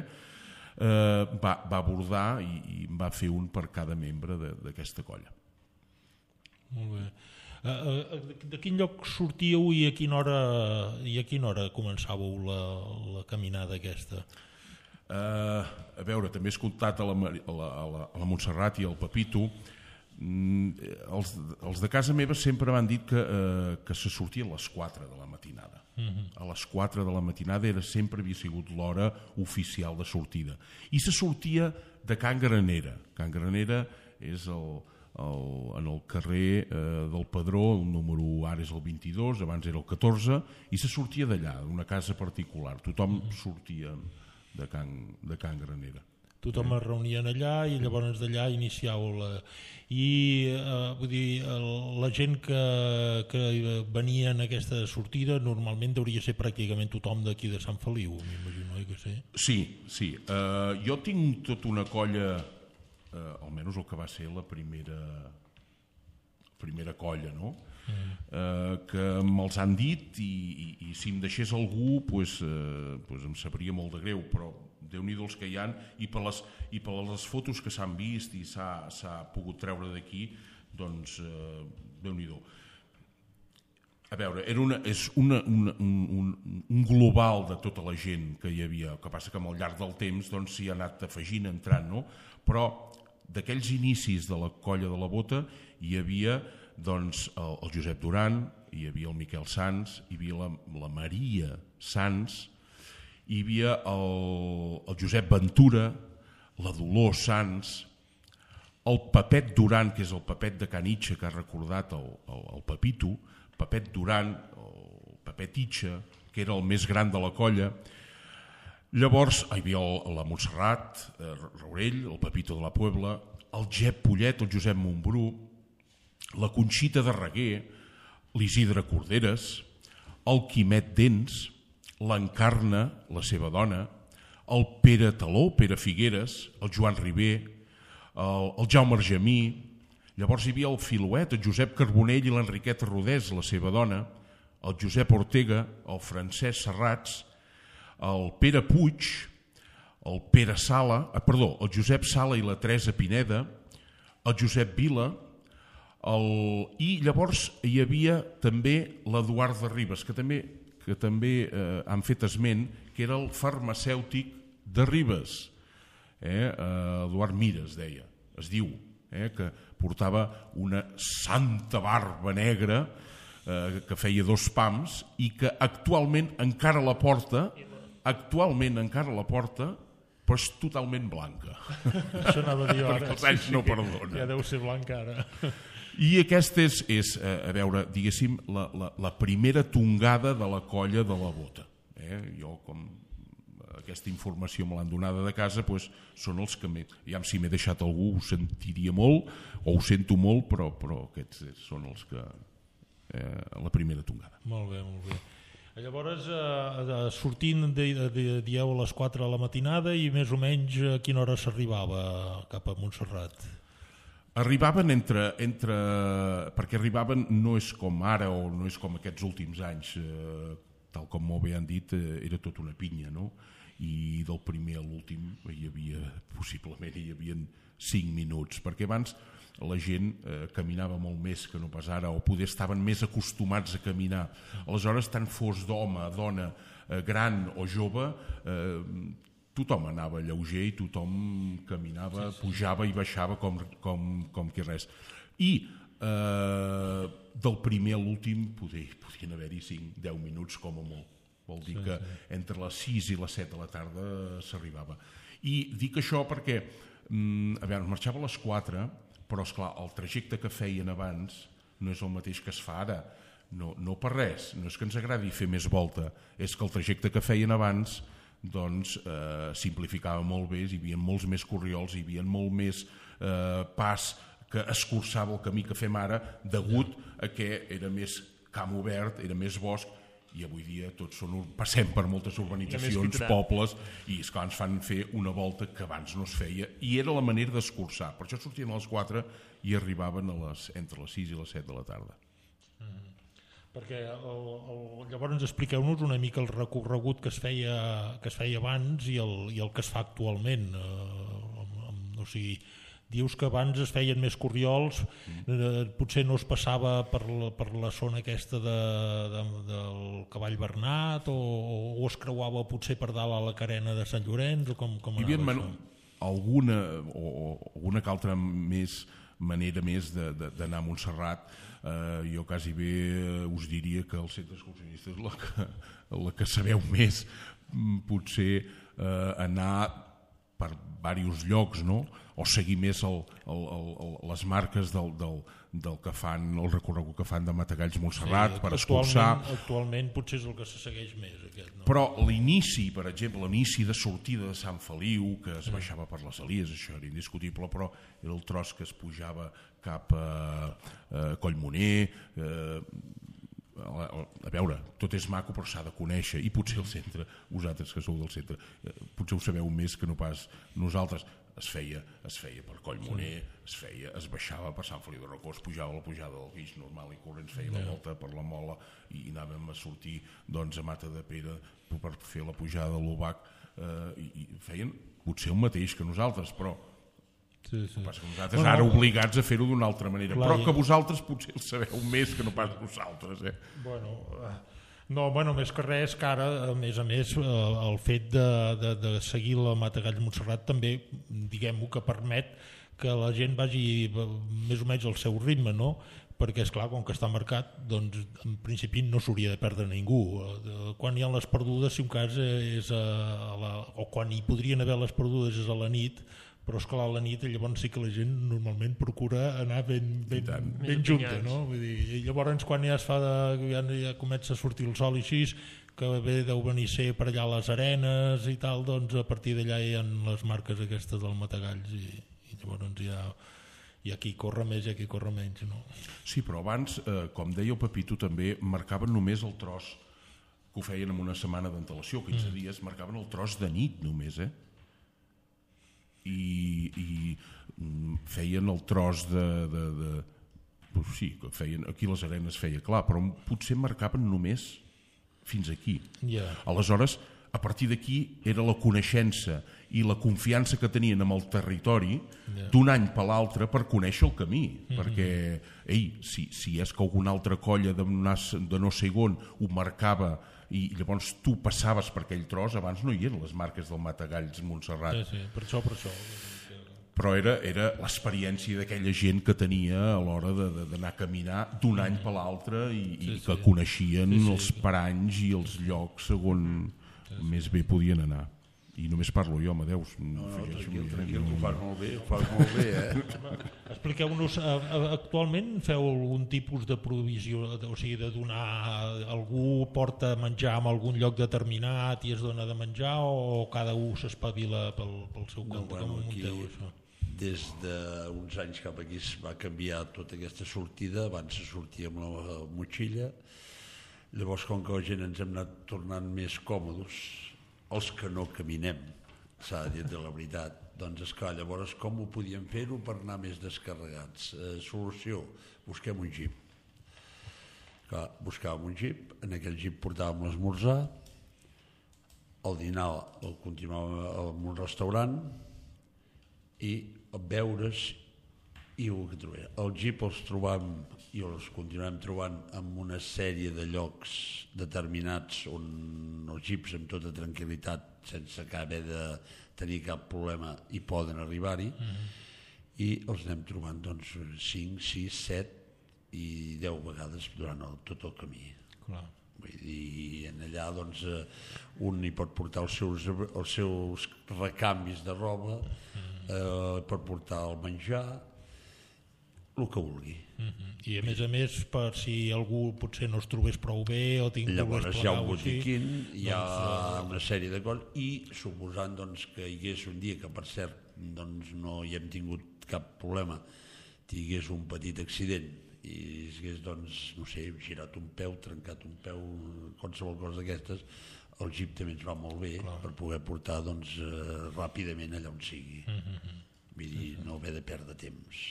Eh, va, va abordar i, i va fer un per cada membre d'aquesta colla. Molt bé. Uh, de quin lloc sortíeu i a quina hora, i a quina hora començàveu la, la caminada aquesta? Uh, a veure, també he escoltat a la, a la, a la, a la Montserrat i al Pepito. mm, els, els de casa meva sempre m'han dit que, uh, que se sortia a les quatre de la matinada. Uh-huh. A les quatre de la matinada era, sempre havia sigut l'hora oficial de sortida i se sortia de Can Granera. Can Granera és el, el, en el carrer eh, del Padró, el número ara és el vint-i-dos, abans era el catorze, i se sortia d'allà, d'una casa particular. Tothom uh-huh. sortia de Can, de Can Granera. Tothom es reunien allà i llavors d'allà iniciàveu la... I eh, vull dir, el, la gent que, que venia en aquesta sortida normalment hauria ser pràcticament tothom d'aquí de Sant Feliu, m'imagino, eh, que sé. Sí, sí. Uh, jo tinc tota una colla, uh, almenys el que va ser la primera, primera colla, no? Mm. Uh, que me'ls han dit i, i, i si em deixés algú pues, uh, pues em sabria molt de greu, però Déu-n'hi-do els que hi ha i per les, i per les fotos que s'han vist i s'ha pogut treure d'aquí, doncs uh, Déu-n'hi-do. A veure, era una, és una, una, un, un global de tota la gent que hi havia, el que passa que amb el llarg del temps doncs, s'hi ha anat afegint, entrant, no? Però d'aquells inicis de la colla de la Bota hi havia doncs, el, el Josep Duran, hi havia el Miquel Sans, hi havia la, la Maria Sans, hi havia el, el Josep Ventura, la Dolors Sans, el Pepet Duran, que és el Pepet de Canitxa, que ha recordat el, el, el Pepito, Pepet Duran, el Pepet Itxa, que era el més gran de la colla. Llavors hi havia el, la Montserrat, eh, Raurell, el Pepito de la Puebla, el Jep Pollet, el Josep Montbrú, la Conxita de Reguer, l'Isidre Corderes, el Quimet Dents, l'Encarna, la seva dona, el Pere Taló, Pere Figueres, el Joan Riber, el, el Jaume Argemí. Llavors hi havia el Filuet, el Josep Carbonell i l'Enriqueta Rodés, la seva dona, el Josep Ortega, el Francesc Serrats, el Pere Puig, el Pere Sala, ah, perdó, el Josep Sala i la Teresa Pineda, el Josep Vila, el, i llavors hi havia també l'Eduard de Ribes, que també, que també eh, han fet esment, que era el farmacèutic de Ribes, eh? Eduard Mires deia, es diu, eh? que portava una santa barba negra eh, que feia dos pams i que actualment encara la porta, actualment encara la porta, però és totalment blanca. Això anava a dir ara. Perquè els anys no perdonen. Ja deu ser blanca ara. I aquesta és, és a veure, diguéssim, la, la, la primera tongada de la colla de la Bota. Eh? Jo, com aquesta informació me l'han donada de casa, doncs, són els que, ja si m'he deixat algú ho sentiria molt, o ho sento molt, però, però aquests són els que, eh, la primera tongada. Molt bé, molt bé. Llavors, eh, sortint, de, de, dieu a les quatre de la matinada i més o menys a quina hora s'arribava cap a Montserrat? Arribaven entre, entre... perquè arribaven, no és com ara o no és com aquests últims anys, eh, tal com molt bé han dit, eh, era tot una pinya, no? I del primer a l'últim hi havia, possiblement hi havia cinc minuts, perquè abans la gent eh, caminava molt més que no pas ara, o poder estaven més acostumats a caminar. Aleshores, tant fos d'home, dona, eh, gran o jove, eh, tothom anava lleuger i tothom caminava, sí, sí. pujava i baixava com, com, com que res. I eh, del primer a l'últim podien haver-hi cinc a deu minuts com a molt. Vol dir sí, que sí. entre les sis i les set de la tarda s'arribava. I dic això perquè, mm, a veure, marxava a les quatre, però esclar, el trajecte que feien abans no és el mateix que es fa ara. No, no per res, no és que ens agradi fer més volta, és que el trajecte que feien abans doncs eh, simplificava molt bé, hi havia molts més corriols, hi havia molt més eh, pas que escurçava el camí que fem ara, degut a que era més camp obert, era més bosc, i avui dia tots són, passem per moltes urbanitzacions, pobles, i esclar, ens fan fer una volta que abans no es feia, i era la manera d'escurçar. Per això sortien a les quatre i arribaven a les, entre les sis i les set de la tarda. Mm. Perquè el, el, llavors expliqueu-nos una mica el recorregut que es feia, que es feia abans i el, i el que es fa actualment. Eh, o sigui, dius que abans es feien més corriols, eh, potser no es passava per la, per la zona aquesta de, de, del Cavall Bernat o, o es creuava potser per dalt a la carena de Sant Llorenç o com, com hi havia anava man... alguna o, o alguna que altra més manera més d'anar a Montserrat. Eh, jo quasi bé us diria que el centre excursionista és la que, la que sabeu més, potser eh, anar per diversos llocs, no? O seguir més el, el, el, les marques del, del, del que fan, el recorregut que fan de Matagalls Montserrat, sí, per escurçar. Actualment potser és el que se segueix més. Aquest, no? Però l'inici, per exemple, l'inici de sortida de Sant Feliu, que es baixava per les Elies, això era indiscutible, però era el tros que es pujava cap a, a Collmoner, eh, a, a veure, tot és maco però s'ha de conèixer, i potser el centre, vosaltres que sou del centre, potser ho sabeu més que no pas nosaltres. Es feia, es feia per Collmoner, es feia, es baixava per Sant Feliu de Rocó, es pujava la pujada del Guix normal i corrents, feia la volta per la Mola i anàvem a sortir doncs, a Mata de Pere per fer la pujada de l'Obac, eh, i, i feien potser el mateix que nosaltres, però sí, sí. passa que nosaltres bueno, ara obligats a fer-ho d'una altra manera, clar, però que vosaltres potser el sabeu més que no pas nosaltres. Eh? Bueno... Uh... No, bueno, més que res, que ara, a més a més, el fet de, de, de seguir la Matagalls Montserrat també, diguem-ho, que permet que la gent vagi més o menys al seu ritme, no? Perquè, esclar, com que està marcat, doncs, en principi no s'hauria de perdre ningú. Quan hi ha les perdudes, si un cas és a la... o quan hi podrien haver les perdudes és a la nit, però esclar, a la nit llavors sí que la gent normalment procura anar ben, ben, ben junta, no? Vull dir, llavors quan ja es fa de, ja, ja comença a sortir el sol i així, que bé deu venir ser per allà a les arenes i tal, doncs a partir d'allà hi ha les marques aquestes del Matagalls i, i llavors hi ha, hi ha qui corre més i hi ha qui corre menys, no? Sí, però abans, eh, com deia el Pepito també, marcaven només el tros, que ho feien en una setmana d'antelació, quinze mm. dies, marcaven el tros de nit només, eh? i, i feien el tros de, de, de pues sí, que feien, aquí les arenes feia clar, però potser marcaven només fins aquí. Yeah. Aleshores, a partir d'aquí era la coneixença i la confiança que tenien amb el territori yeah. d'un any per l'altre per conèixer el camí, mm-hmm. perquè ei, si, si és que alguna altra colla de, de no sé on ho marcava i llavors tu passaves per aquell tros, abans no hi eren les marques del Matagalls Montserrat. Sí, sí, per això, per això. Però era, era l'experiència d'aquella gent que tenia a l'hora d'anar a caminar d'un any per l'altre i, sí, i que sí. coneixien sí, sí. els paranys i els llocs segons sí, sí. més bé podien anar. I només parlo jo, Amadeus. No, no, tranquil, tranquil, ho fas molt bé, ho fas molt bé, eh? Expliqueu-nos, actualment feu algun tipus de provisió, o sigui, de donar, algú porta menjar en algun lloc determinat i es dona de menjar o cada un s'espavila pel, pel seu compte? No, bueno, com aquí, munteu això? Des d'uns anys cap aquí es va canviar tota aquesta sortida, abans se sortia amb la motxilla, llavors com que la gent ens hem anat tornant més còmodes, els que no caminem, s'ha de dir de la veritat, doncs esclar, llavors com ho podíem fer-ho per anar més descarregats? Eh, solució, busquem un jeep. Clar, buscàvem un jeep, en aquell jeep portàvem l'esmorzar, el dinar el continuàvem en un restaurant i beure's I el que trobem. El jeep els trobam i els continuem trobant en una sèrie de llocs determinats on els jeeps amb tota tranquil·litat, sense haver de tenir cap problema, hi poden arribar-hi. Mm-hmm. I els anem trobant doncs, cinc, sis, set i deu vegades durant el, tot el camí. Clar. Vull dir, en allà doncs, un hi pot portar els seus, els seus recanvis de roba, eh, pot portar el menjar, el que vulgui. Mm-hmm. I a més a més, per si algú potser no es trobés prou bé o tinc llavors hi ha un botiquín, hi ha doncs, una sèrie de coses, i suposant doncs, que hi hagués un dia que per cert doncs, no hi hem tingut cap problema, tingués un petit accident i hagués, doncs, no sé, girat un peu, trencat un peu, qualsevol cosa d'aquestes, el jeep també ens va molt bé. Clar. Per poder portar doncs, eh, ràpidament allà on sigui. Mm-hmm. Vull dir, no haver de perdre temps.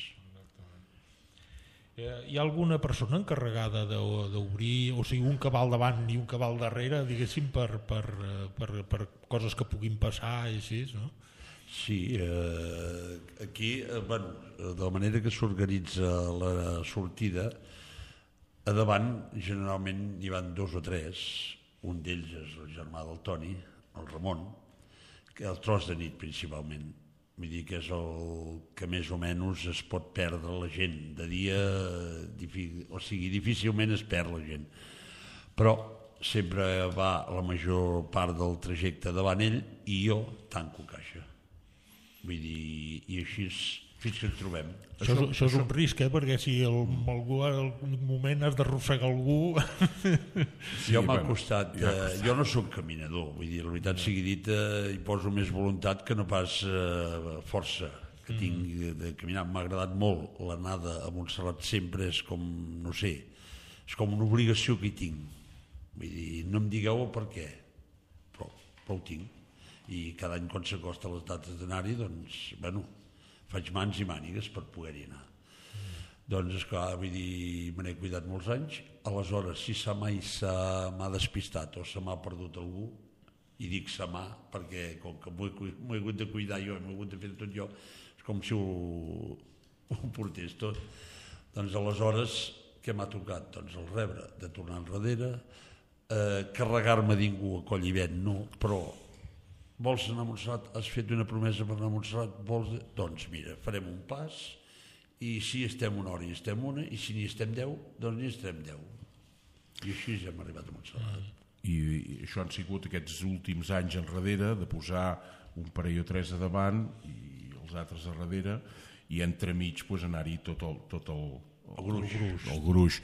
Hi ha alguna persona encarregada d'obrir, o sigui, un cabal davant i un cabal darrere, diguéssim, per, per, per, per coses que puguin passar i així, no? Sí, eh, aquí, eh, bueno, de la manera que s'organitza la sortida, a davant generalment hi van dos o tres, un d'ells és el germà del Toni, el Ramon, que el tros de nit principalment. Vull dir que és el que més o menys es pot perdre la gent. De dia, o sigui, difícilment es perd la gent. Però sempre va la major part del trajecte davant ell i jo tanco caixa. Vull dir, i així és, fins que ens trobem. Això, això, això és un risc, eh? Perquè si el, algú, al moment has d'arrossegar algú... Sí, jo m'ha costat, eh, jo no sóc caminador, vull dir, la veritat sigui dita, hi poso més voluntat que no pas eh, força que mm. tinc de caminar. M'ha agradat molt l'anada a Montserrat, sempre és com, no sé, és com una obligació que hi tinc. Vull dir, no em digueu el per què, però, però ho tinc. I cada any quan s'acosta les dates d'anar-hi, doncs, bueno, faig mans i mànigues per poder-hi anar. Mm. Doncs, esclar, vull dir, me n'he cuidat molts anys. Aleshores, si se mai se m'ha despistat o se m'ha perdut algú, i dic se m'ha, perquè com que m'ho he hagut de cuidar jo, m'ho he hagut de fer tot jo, és com si ho, ho portés tot. Doncs, aleshores, què m'ha tocat? Doncs el rebre, de tornar enrere, eh, carregar-me d'ingú a Collivent, no, però... Vols anar a Montserrat? Has fet una promesa per anar a Montserrat? Vols... Doncs mira, farem un pas i si estem una hora i estem una i si n'hi estem deu, doncs n'hi estem deu. I així ja hem arribat a Montserrat. I, I això han sigut aquests últims anys enrere de posar un parell o tres a davant i els altres a darrere i entremig pues, anar-hi tot el, tot el, el gruix, el gruix.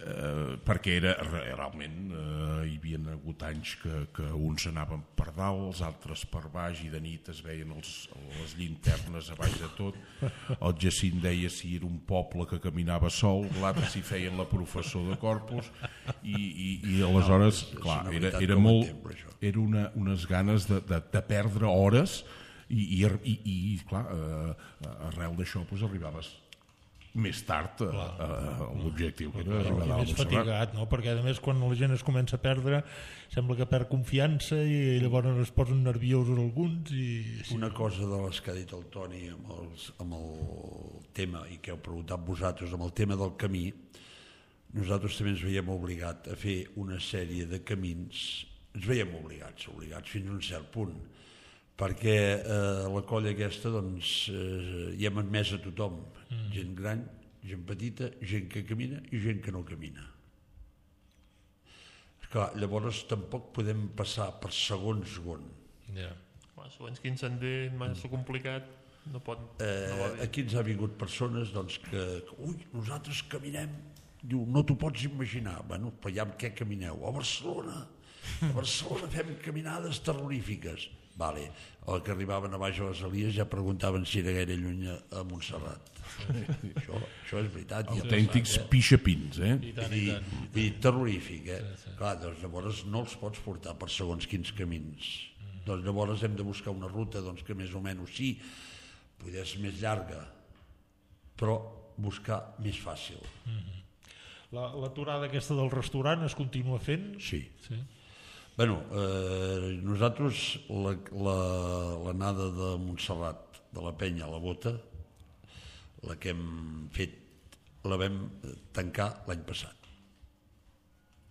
Eh, perquè era realment eh, hi havia hagut anys que, que uns anaven per dalt, els altres per baix i de nit es veien els, les llinternes a baix de tot. El Jacint deia si era un poble que caminava sol, l'altre si feien la professor de Corpus i, i, i aleshores no, clar, era, era molt era una, unes ganes de, de, de perdre hores i, i, i, i clar, eh, arrel d'això pues, arribaves més tard a, a, a l'objectiu que era arribar a més fatigat, no? Perquè a més quan la gent es comença a perdre sembla que perd confiança i llavors es posen nerviosos alguns i... Una cosa de les que ha dit el Toni amb, els, amb el tema i que heu preguntat vosaltres amb el tema del camí, nosaltres també ens veiem obligat a fer una sèrie de camins, ens veiem obligats obligats fins a un cert punt perquè eh, la colla aquesta doncs, eh, hi hem admès a tothom, mm. gent gran, gent petita, gent que camina i gent que no camina. Esclar, llavors tampoc podem passar per segon segon. Yeah. Bueno, segons quin sender massa complicat no pot... Eh, no aquí ens ha vingut persones doncs, que, que, ui, nosaltres caminem, diu, no t'ho pots imaginar. Bueno, però ja amb què camineu? A Barcelona, a Barcelona fem caminades terrorífiques. Vale. El que arribaven a baix a les Elies ja preguntaven si era gaire lluny a Montserrat. això, això és veritat. Autèntics eh? pixapins, eh? I tant, i, i tant. I terrorífic, eh? Sí, sí. Clar, doncs llavors no els pots portar per segons quins camins. Mm. Doncs llavors hem de buscar una ruta doncs, que més o menys sí, poder ser més llarga, però buscar més fàcil. Mm-hmm. La, l'aturada aquesta del restaurant es continua fent? Sí. Sí. Bueno, eh, nosaltres l'anada la, la, de Montserrat, de la Penya a la Bota, la que hem fet, la vam tancar l'any passat.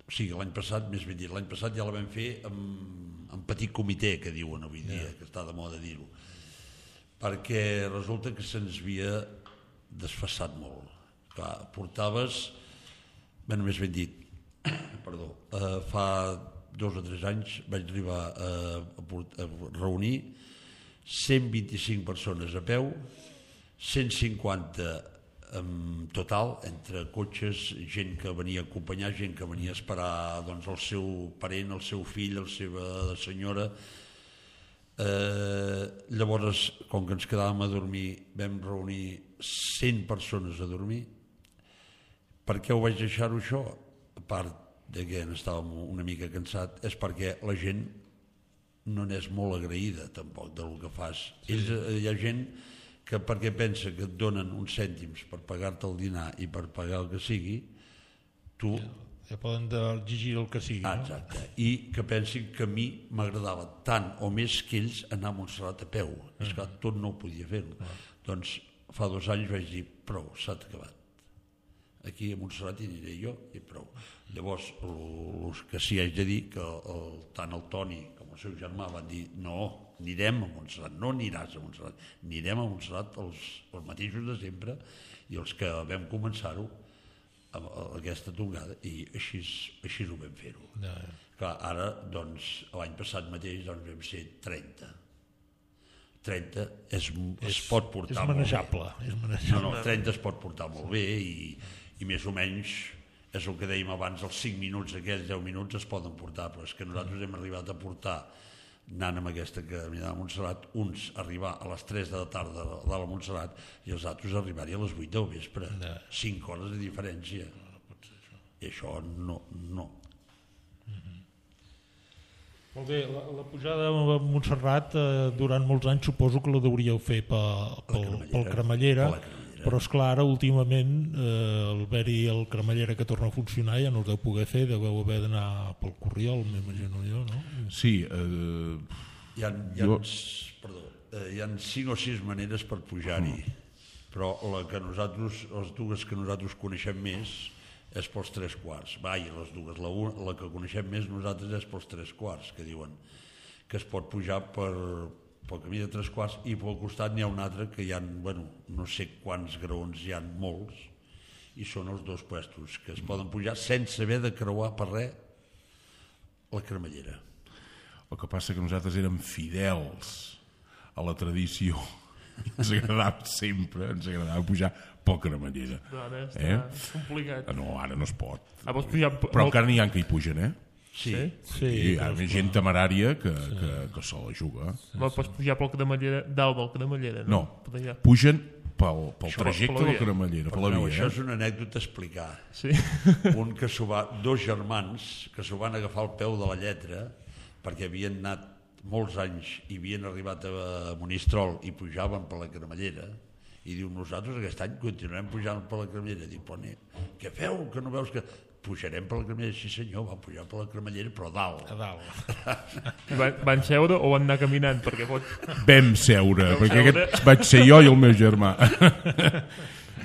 O sigui, l'any passat, més ben dit, l'any passat ja la vam fer amb, amb petit comitè, que diuen avui dia, yeah. que està de moda dir-ho, perquè resulta que se'ns havia desfassat molt. Clar, portaves, bueno, més ben dit, perdó, eh, fa dos o tres anys vaig arribar a, a, a reunir cent vint-i-cinc persones a peu, cent cinquanta en total, entre cotxes, gent que venia a acompanyar, gent que venia a esperar doncs, el seu parent, el seu fill, la seva senyora. Eh, llavors, com que ens quedàvem a dormir, vam reunir cent persones a dormir. Per què ho vaig deixar-ho això? A part de que estàvem una mica cansat, és perquè la gent no n'és molt agraïda tampoc del que fas. Sí. És, hi ha gent que perquè pensa que et donen uns cèntims per pagar-te el dinar i per pagar el que sigui, tu... Ja, ja poden exigir el que sigui. Ah, exacte. No? I que pensin que a mi m'agradava tant o més que ells anar a Montserrat a peu. Mm. És que tot no ho podia fer. Mm. Doncs fa dos anys vaig dir, prou, s'ha acabat. Aquí a Montserrat hi aniré jo i prou. Llavors, el que sí haig de dir que el, tant el Toni com el seu germà van dir, no, anirem a Montserrat, no aniràs a Montserrat, anirem a Montserrat els, els mateixos de sempre i els que vam començar-ho a, a aquesta tongada i així, així ho vam fer-ho. No. Clar, ara, doncs, l'any passat mateix doncs, vam ser trenta. trenta es, es és, pot portar és manejable, molt bé. És manejable. No, no, trenta es pot portar molt bé i, i més o menys és el que dèiem abans, els cinc minuts, aquells deu minuts es poden portar, però és que nosaltres hem arribat a portar anant amb aquesta caminada a Montserrat, uns arribar a les tres de la tarda de la Montserrat i els altres arribar-hi a les vuit del vespre. No. cinc hores de diferència. No, no pot ser això. I això no, no. Mm-hmm. Molt bé, la, la pujada a Montserrat eh, durant molts anys suposo que la deuríeu fer pel, pel, pel Cremallera, però esclar, ara últimament eh, el haver-hi el Cremallera que torna a funcionar ja no us deu poder fer, deveu haver d'anar pel Corriol, m'imagino jo, no? Sí. Eh, hi ha, hi ha, jo... perdó, eh, hi ha cinc o sis maneres per pujar-hi, mm. però la que nosaltres, les dues que nosaltres coneixem més és pels tres quarts. Vai, les dues, la, una, la que coneixem més nosaltres és pels tres quarts, que diuen que es pot pujar per... pel camí de tres quarts i pel costat n'hi ha un altre que hi ha, bueno, no sé quants graons hi ha, molts, i són els dos puestos que es poden pujar sense haver de creuar per res la Cremallera. El que passa que nosaltres érem fidels a la tradició i ens agradava sempre, ens agradava pujar pel Cremallera. No, ara està eh? complicat. No, ara no es pot. Ah, vols pujar... Però encara n'hi ha que hi pugen, eh? Sí, sí, hi ha gent temerària que, sí. que, que se la juga. Sí, no pots pujar pel Cremallera, dalt del Cremallera, no? No, pugen pel, pel això, trajecte del Cremallera, per la via. Això és una anècdota a explicar. Sí. Un que s'ho va, dos germans que s'ho van agafar al peu de la lletra perquè havien anat molts anys i havien arribat a Monistrol i pujaven per la Cremallera i diu, nosaltres aquest any continuem pujant per la Cremallera. Diu, però ne, què feu? Que no veus que... Pujarem per la Cremallera, sí senyor, van pujar per la Cremallera, però a dalt. A dalt. Van, van seure o van anar caminant? Perquè pot... Vam seure, Vam perquè seure. Aquest vaig ser jo i el meu germà.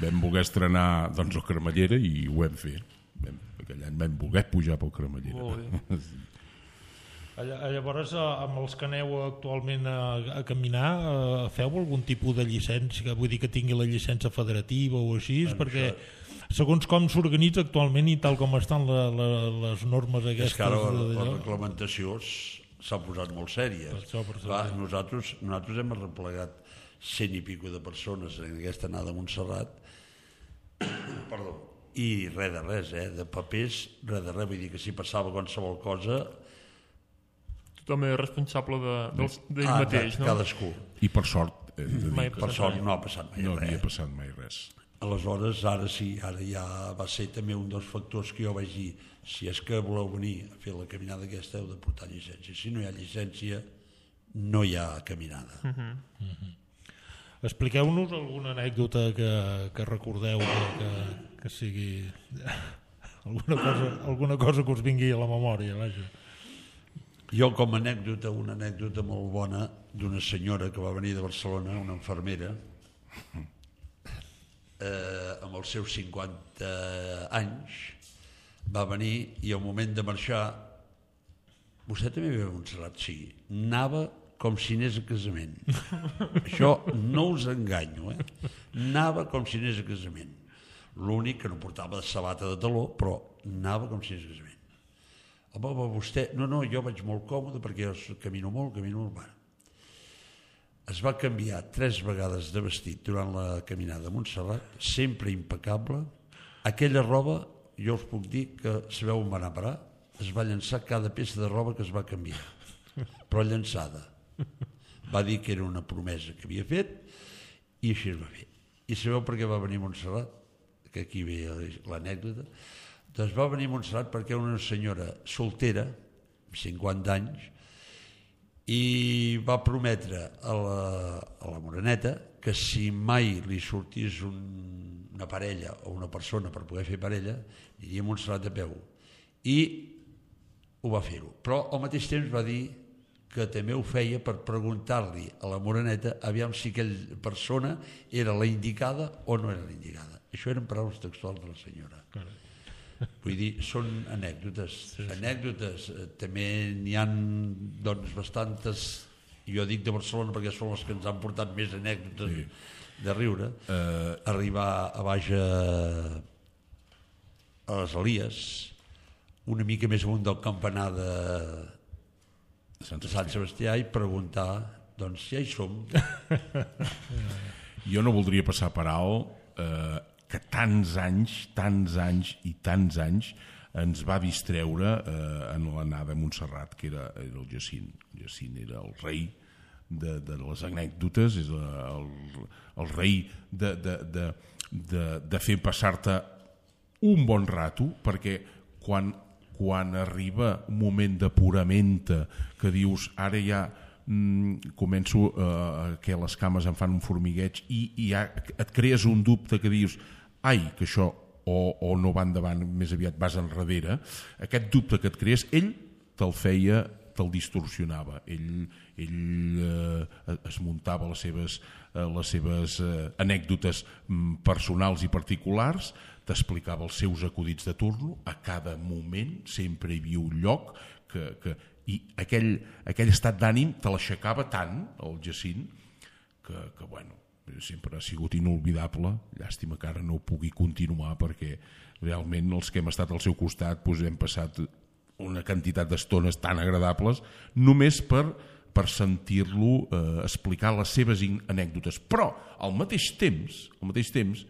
Vam voler estrenar doncs, el Cremallera i ho vam fer. Vam, aquell any vam voler pujar pel Cremallera. Molt bé. Llavors, amb els que aneu actualment a, a caminar, feu algun tipus de llicència, vull dir que tingui la llicència federativa o així, en perquè això... segons com s'organitza actualment i tal com estan la, la, les normes aquestes... És que ara la, la reglamentació s'ha posat molt sèria. Va, nosaltres, nosaltres hem arreplegat cent i pico de persones en aquesta anada a Montserrat, perdó, i res de res, eh, de papers, res de res, vull dir que si passava qualsevol cosa... Tothom és responsable d'ell de, ah, mateix, no? Cadascú. I per sort, eh, de dir, per sort no ha passat mai no res. No havia passat mai res. Aleshores, ara sí, ara ja va ser també un dels factors que jo vaig dir, si és que voleu venir a fer la caminada aquesta heu de portar llicència. Si no hi ha llicència, no hi ha caminada. Uh-huh. Uh-huh. Expliqueu-nos alguna anècdota que, que recordeu que, que, que sigui alguna cosa, alguna cosa que us vingui a la memòria, vaja. Jo com a anècdota, una anècdota molt bona d'una senyora que va venir de Barcelona, una infermera, eh, amb els seus cinquanta anys, va venir i al moment de marxar, vostè també ve a Montserrat? Sí, anava com si anés a casament. Això no us enganyo, eh? Anava com si anés a casament. L'únic que no portava sabata de taló, però anava com si anés a casament. Home, home, vostè... No, no, jo vaig molt còmode perquè jo camino molt, camino molt. Bueno. Es va canviar tres vegades de vestit durant la caminada a Montserrat, sempre impecable. Aquella roba, jo us puc dir que sabeu on va anar a parar, es va llançar cada peça de roba que es va canviar, però llançada. Va dir que era una promesa que havia fet i així es va fer. I sabeu per què va venir a Montserrat? Que aquí ve l'anècdota. Doncs va venir a Montserrat perquè una senyora soltera, amb cinquanta anys, i va prometre a la, a la moreneta que si mai li sortís un, una parella o una persona per poder fer parella, aniria a Montserrat a peu. I ho va fer-ho. Però al mateix temps va dir que també ho feia per preguntar-li a la moreneta aviam si aquella persona era la indicada o no era la indicada. Això eren paraules textuals de la senyora. Carai. Vull dir, són anècdotes. Sí, sí. Anècdotes. També n'hi ha doncs, bastantes, jo dic de Barcelona perquè són les que ens han portat més anècdotes sí. de riure. Uh... Arribar a baix a, a les Elies, una mica més amunt del campanar de, de Sant Sebastià i preguntar, doncs ja hi som. Jo no voldria passar per alt eh, que tants anys, tants anys i tants anys ens va distreure eh, en l'anada a Montserrat, que era, era el Jacint. El Jacint era el rei de, de les anècdotes, és el, el rei de, de, de, de, de fer passar-te un bon rato, perquè quan quan arriba un moment de pura menta que dius ara ja mm, començo eh, que les cames em fan un formigueig i, i ja et crees un dubte que dius ai, que això o, o no va endavant, més aviat vas enrere, aquest dubte que et crees ell te'l feia, te'l distorsionava, ell, ell eh, es muntava les seves, eh, les seves eh, anècdotes mm, personals i particulars, t'explicava els seus acudits de turno, a cada moment sempre hi havia un lloc que, que, i aquell, aquell estat d'ànim te l'aixecava tant, el Jacint, que, que bueno, sempre ha sigut inolvidable, llàstima que ara no pugui continuar perquè realment els que hem estat al seu costat doncs hem passat una quantitat d'estones tan agradables només per, per sentir-lo eh, explicar les seves anècdotes, però al mateix temps, al mateix temps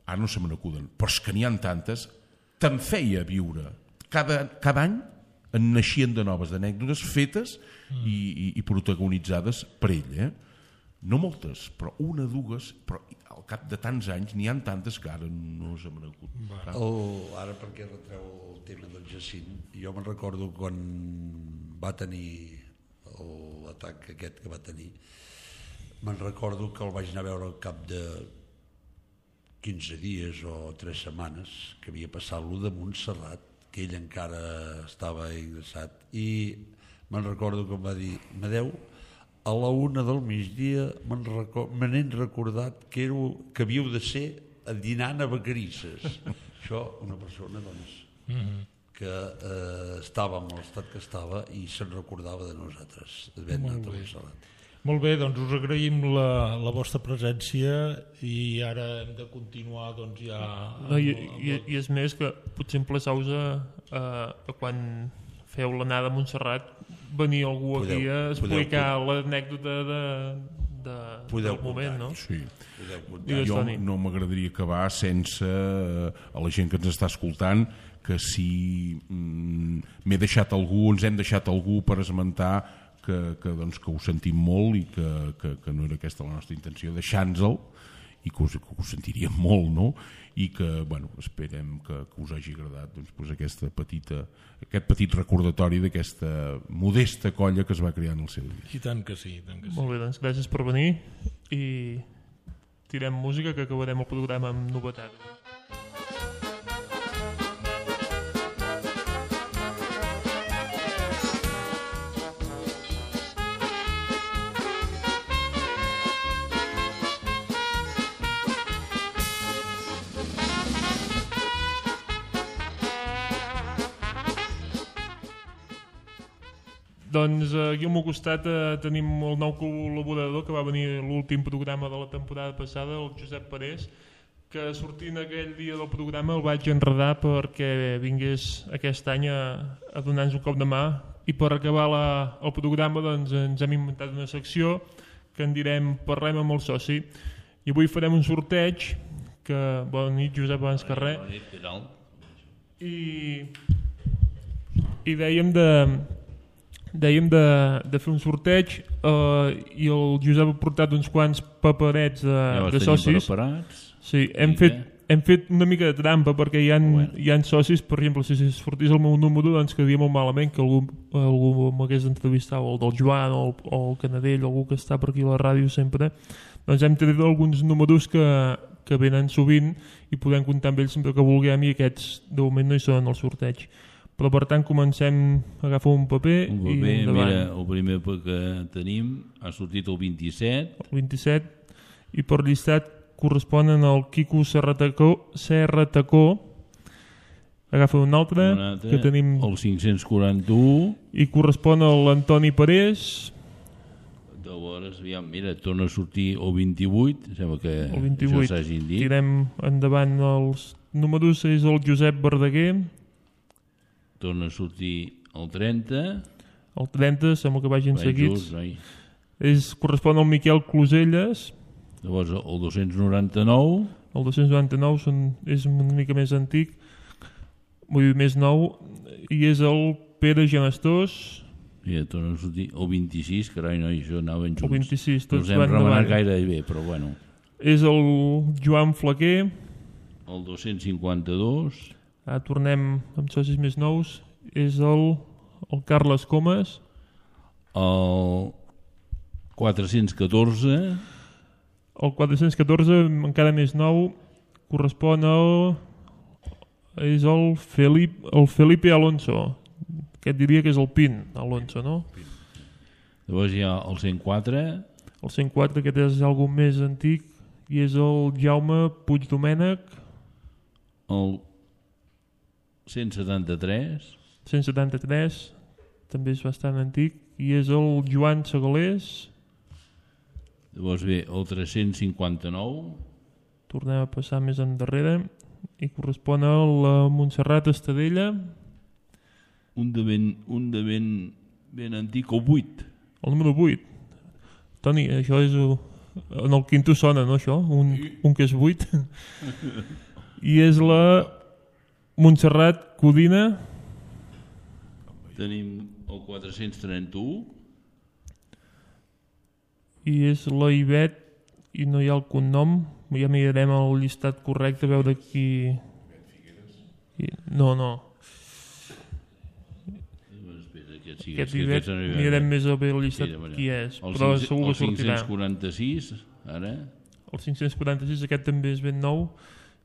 ara no se me n'acuden, però és que n'hi ha tantes, te'n feia viure. Cada, cada any en naixien de noves anècdotes fetes mm. i, i, i protagonitzades per ell. Eh? No moltes, però una, dues, però al cap de tants anys n'hi ha tantes que ara no se me n'acuden. Oh, ara perquè retreu el tema del Jacint, jo me'n recordo quan va tenir l'atac aquest que va tenir, me'n recordo que el vaig anar a veure al cap de quinze dies o tres setmanes que havia passat l'u de Montserrat, que ell encara estava ingressat, i me'n recordo que em va dir Madeu, a la una del migdia me n'he recordat que, era, que havíeu de ser dinant a Vacarisses. Això, una persona doncs, mm-hmm. que eh, estava en l'estat que estava i se'n recordava de nosaltres, d'haver anat a Montserrat. Molt bé, doncs us agraïm la, la vostra presència i ara hem de continuar doncs ja... No, i, i, I és més que potser emplaçau-vos a, a, a quan feu l'anada a Montserrat venir algú podeu, aquí a explicar l'anècdota de, de, del moment, no? Sí. Jo no m'agradaria acabar sense a la gent que ens està escoltant que si mm, m'he deixat algú, ens hem deixat algú per esmentar que, que, doncs, que ho sentim molt i que, que, que no era aquesta la nostra intenció, deixar-nos-el i que us, que us sentiríem molt, no? I que, bueno, esperem que, que us hagi agradat doncs, doncs aquesta petita, aquest petit recordatori d'aquesta modesta colla que es va crear en el seu dia. I tant que sí, tant que sí. Molt bé, doncs gràcies per venir i tirem música que acabarem el programa amb novetats. Doncs eh, aquí al meu costat eh, tenim el nou col·laborador que va venir a l'últim programa de la temporada passada, el Josep Parés, que sortint aquell dia del programa el vaig enredar perquè vingués aquest any a, a donar-nos un cop de mà, i per acabar la, el programa doncs, ens hem inventat una secció que en direm Parlem amb el soci, i avui farem un sorteig que, bona nit Josep, abans que res, bona nit, què tal? i, i dèiem de dèiem de, de fer un sorteig eh, i el Josep ha portat uns quants paperets de, ja de socis. Sí, hem fet, hem fet una mica de trampa perquè hi ha, bueno. hi ha socis, per exemple, si sortís el meu número doncs quedaria molt malament que algú, algú m'hagués entrevistat, o el del Joan o el, o el Canadell, algú que està per aquí a la ràdio sempre, doncs hem tret alguns números que, que venen sovint i podem comptar amb ells sempre que vulguem, i aquests de moment no hi són al sorteig. Però per tant comencem a agafar un paper, un paper i endavant. Mira, el primer que tenim ha sortit el vint-i-set. El vint-i-set, i per llistat corresponen al Quico Serratacó, Serratacó. Agafa un altre, un altre, que tenim el cinc-cents quaranta-u, i correspon a l'Antoni Parés. Llavors, aviam, mira, torna a sortir el vint-i-vuit, sembla que el vint-i-vuit. això s'hagin dit. Tirem endavant els números, és el Josep Verdaguer. Torna a sortir el trenta. El trenta, sembla que vagin Vai seguits. Just, és, correspon al Miquel Closelles. Llavors el dos-cents noranta-nou. El dos-cents noranta-nou són, és una mica més antic, vull dir més nou, i és el Pere Genestós. Ja torna a sortir el vint-i-sis, carai, no, això anaven junts. El vint-i-sis, tots no van hem remenat davant. gaire bé, però bueno. És el Joan Flaquer. El dos-cents cinquanta-dos. Ah, tornem amb socis més nous. És el, el Carles Comas. El quatre-cents catorze. El quatre-cents catorze, encara més nou, correspon al... és el, Felip, el Felipe Alonso. Aquest diria que és el Pin Alonso, no? Llavors hi ha el cent quatre. El cent quatre, aquest és algun més antic, i és el Jaume Puigdomènech. El cent setanta-tres. cent setanta-tres, també és bastant antic, i és el Joan Segalés. Llavors ve el tres-cents cinquanta-nou. Tornem a passar més endarrere, i correspon a la Montserrat Estadella. Un de ben, un de ben, ben antic, el vuit. El número vuit. Toni, això és... En el quinto sona, no, això? Un, un que és vuit. I és la Montserrat Codina. Tenim el quatre-cents trenta-u. I és la Ivet, i no hi ha el cognom. Ja mirarem el llistat correcte, a veure qui... No, no. Aquest, sí, aquest Ivet, mirarem més a bé el llistat sí, qui és, el però cinc, segur que sortirà. El cinc-cents quaranta-sis, ara. El cinc-cents quaranta-sis, aquest també és ben nou,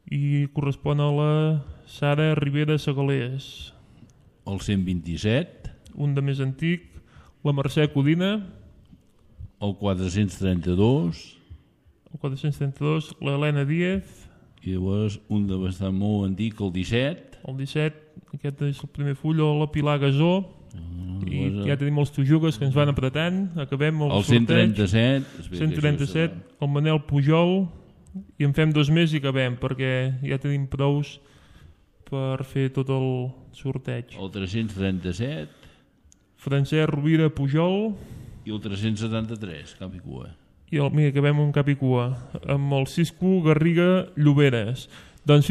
i correspon a la Sara Rivera Segalés. El cent vint-i-set. Un de més antic, la Mercè Codina. El quatre-cents trenta-dos. El quatre-cents trenta-dos, l'Helena Díez. I llavors un de bastant molt antic, el disset. El disset, aquest és el primer full, la Pilar Gasó. Uh, I llavors... ja tenim els Tujugues que ens van apretant. Acabem el, el cent trenta-set. cent trenta-set, el Manel Pujol. I en fem dos més i acabem, perquè ja tenim prous per fer tot el sorteig. El tres-cents trenta-set. Francesc Rovira Pujol. I el tres-cents setanta-tres, cap i cua. I el, mira, acabem un cap i cua, amb el Cisco Garriga Lloberes. Doncs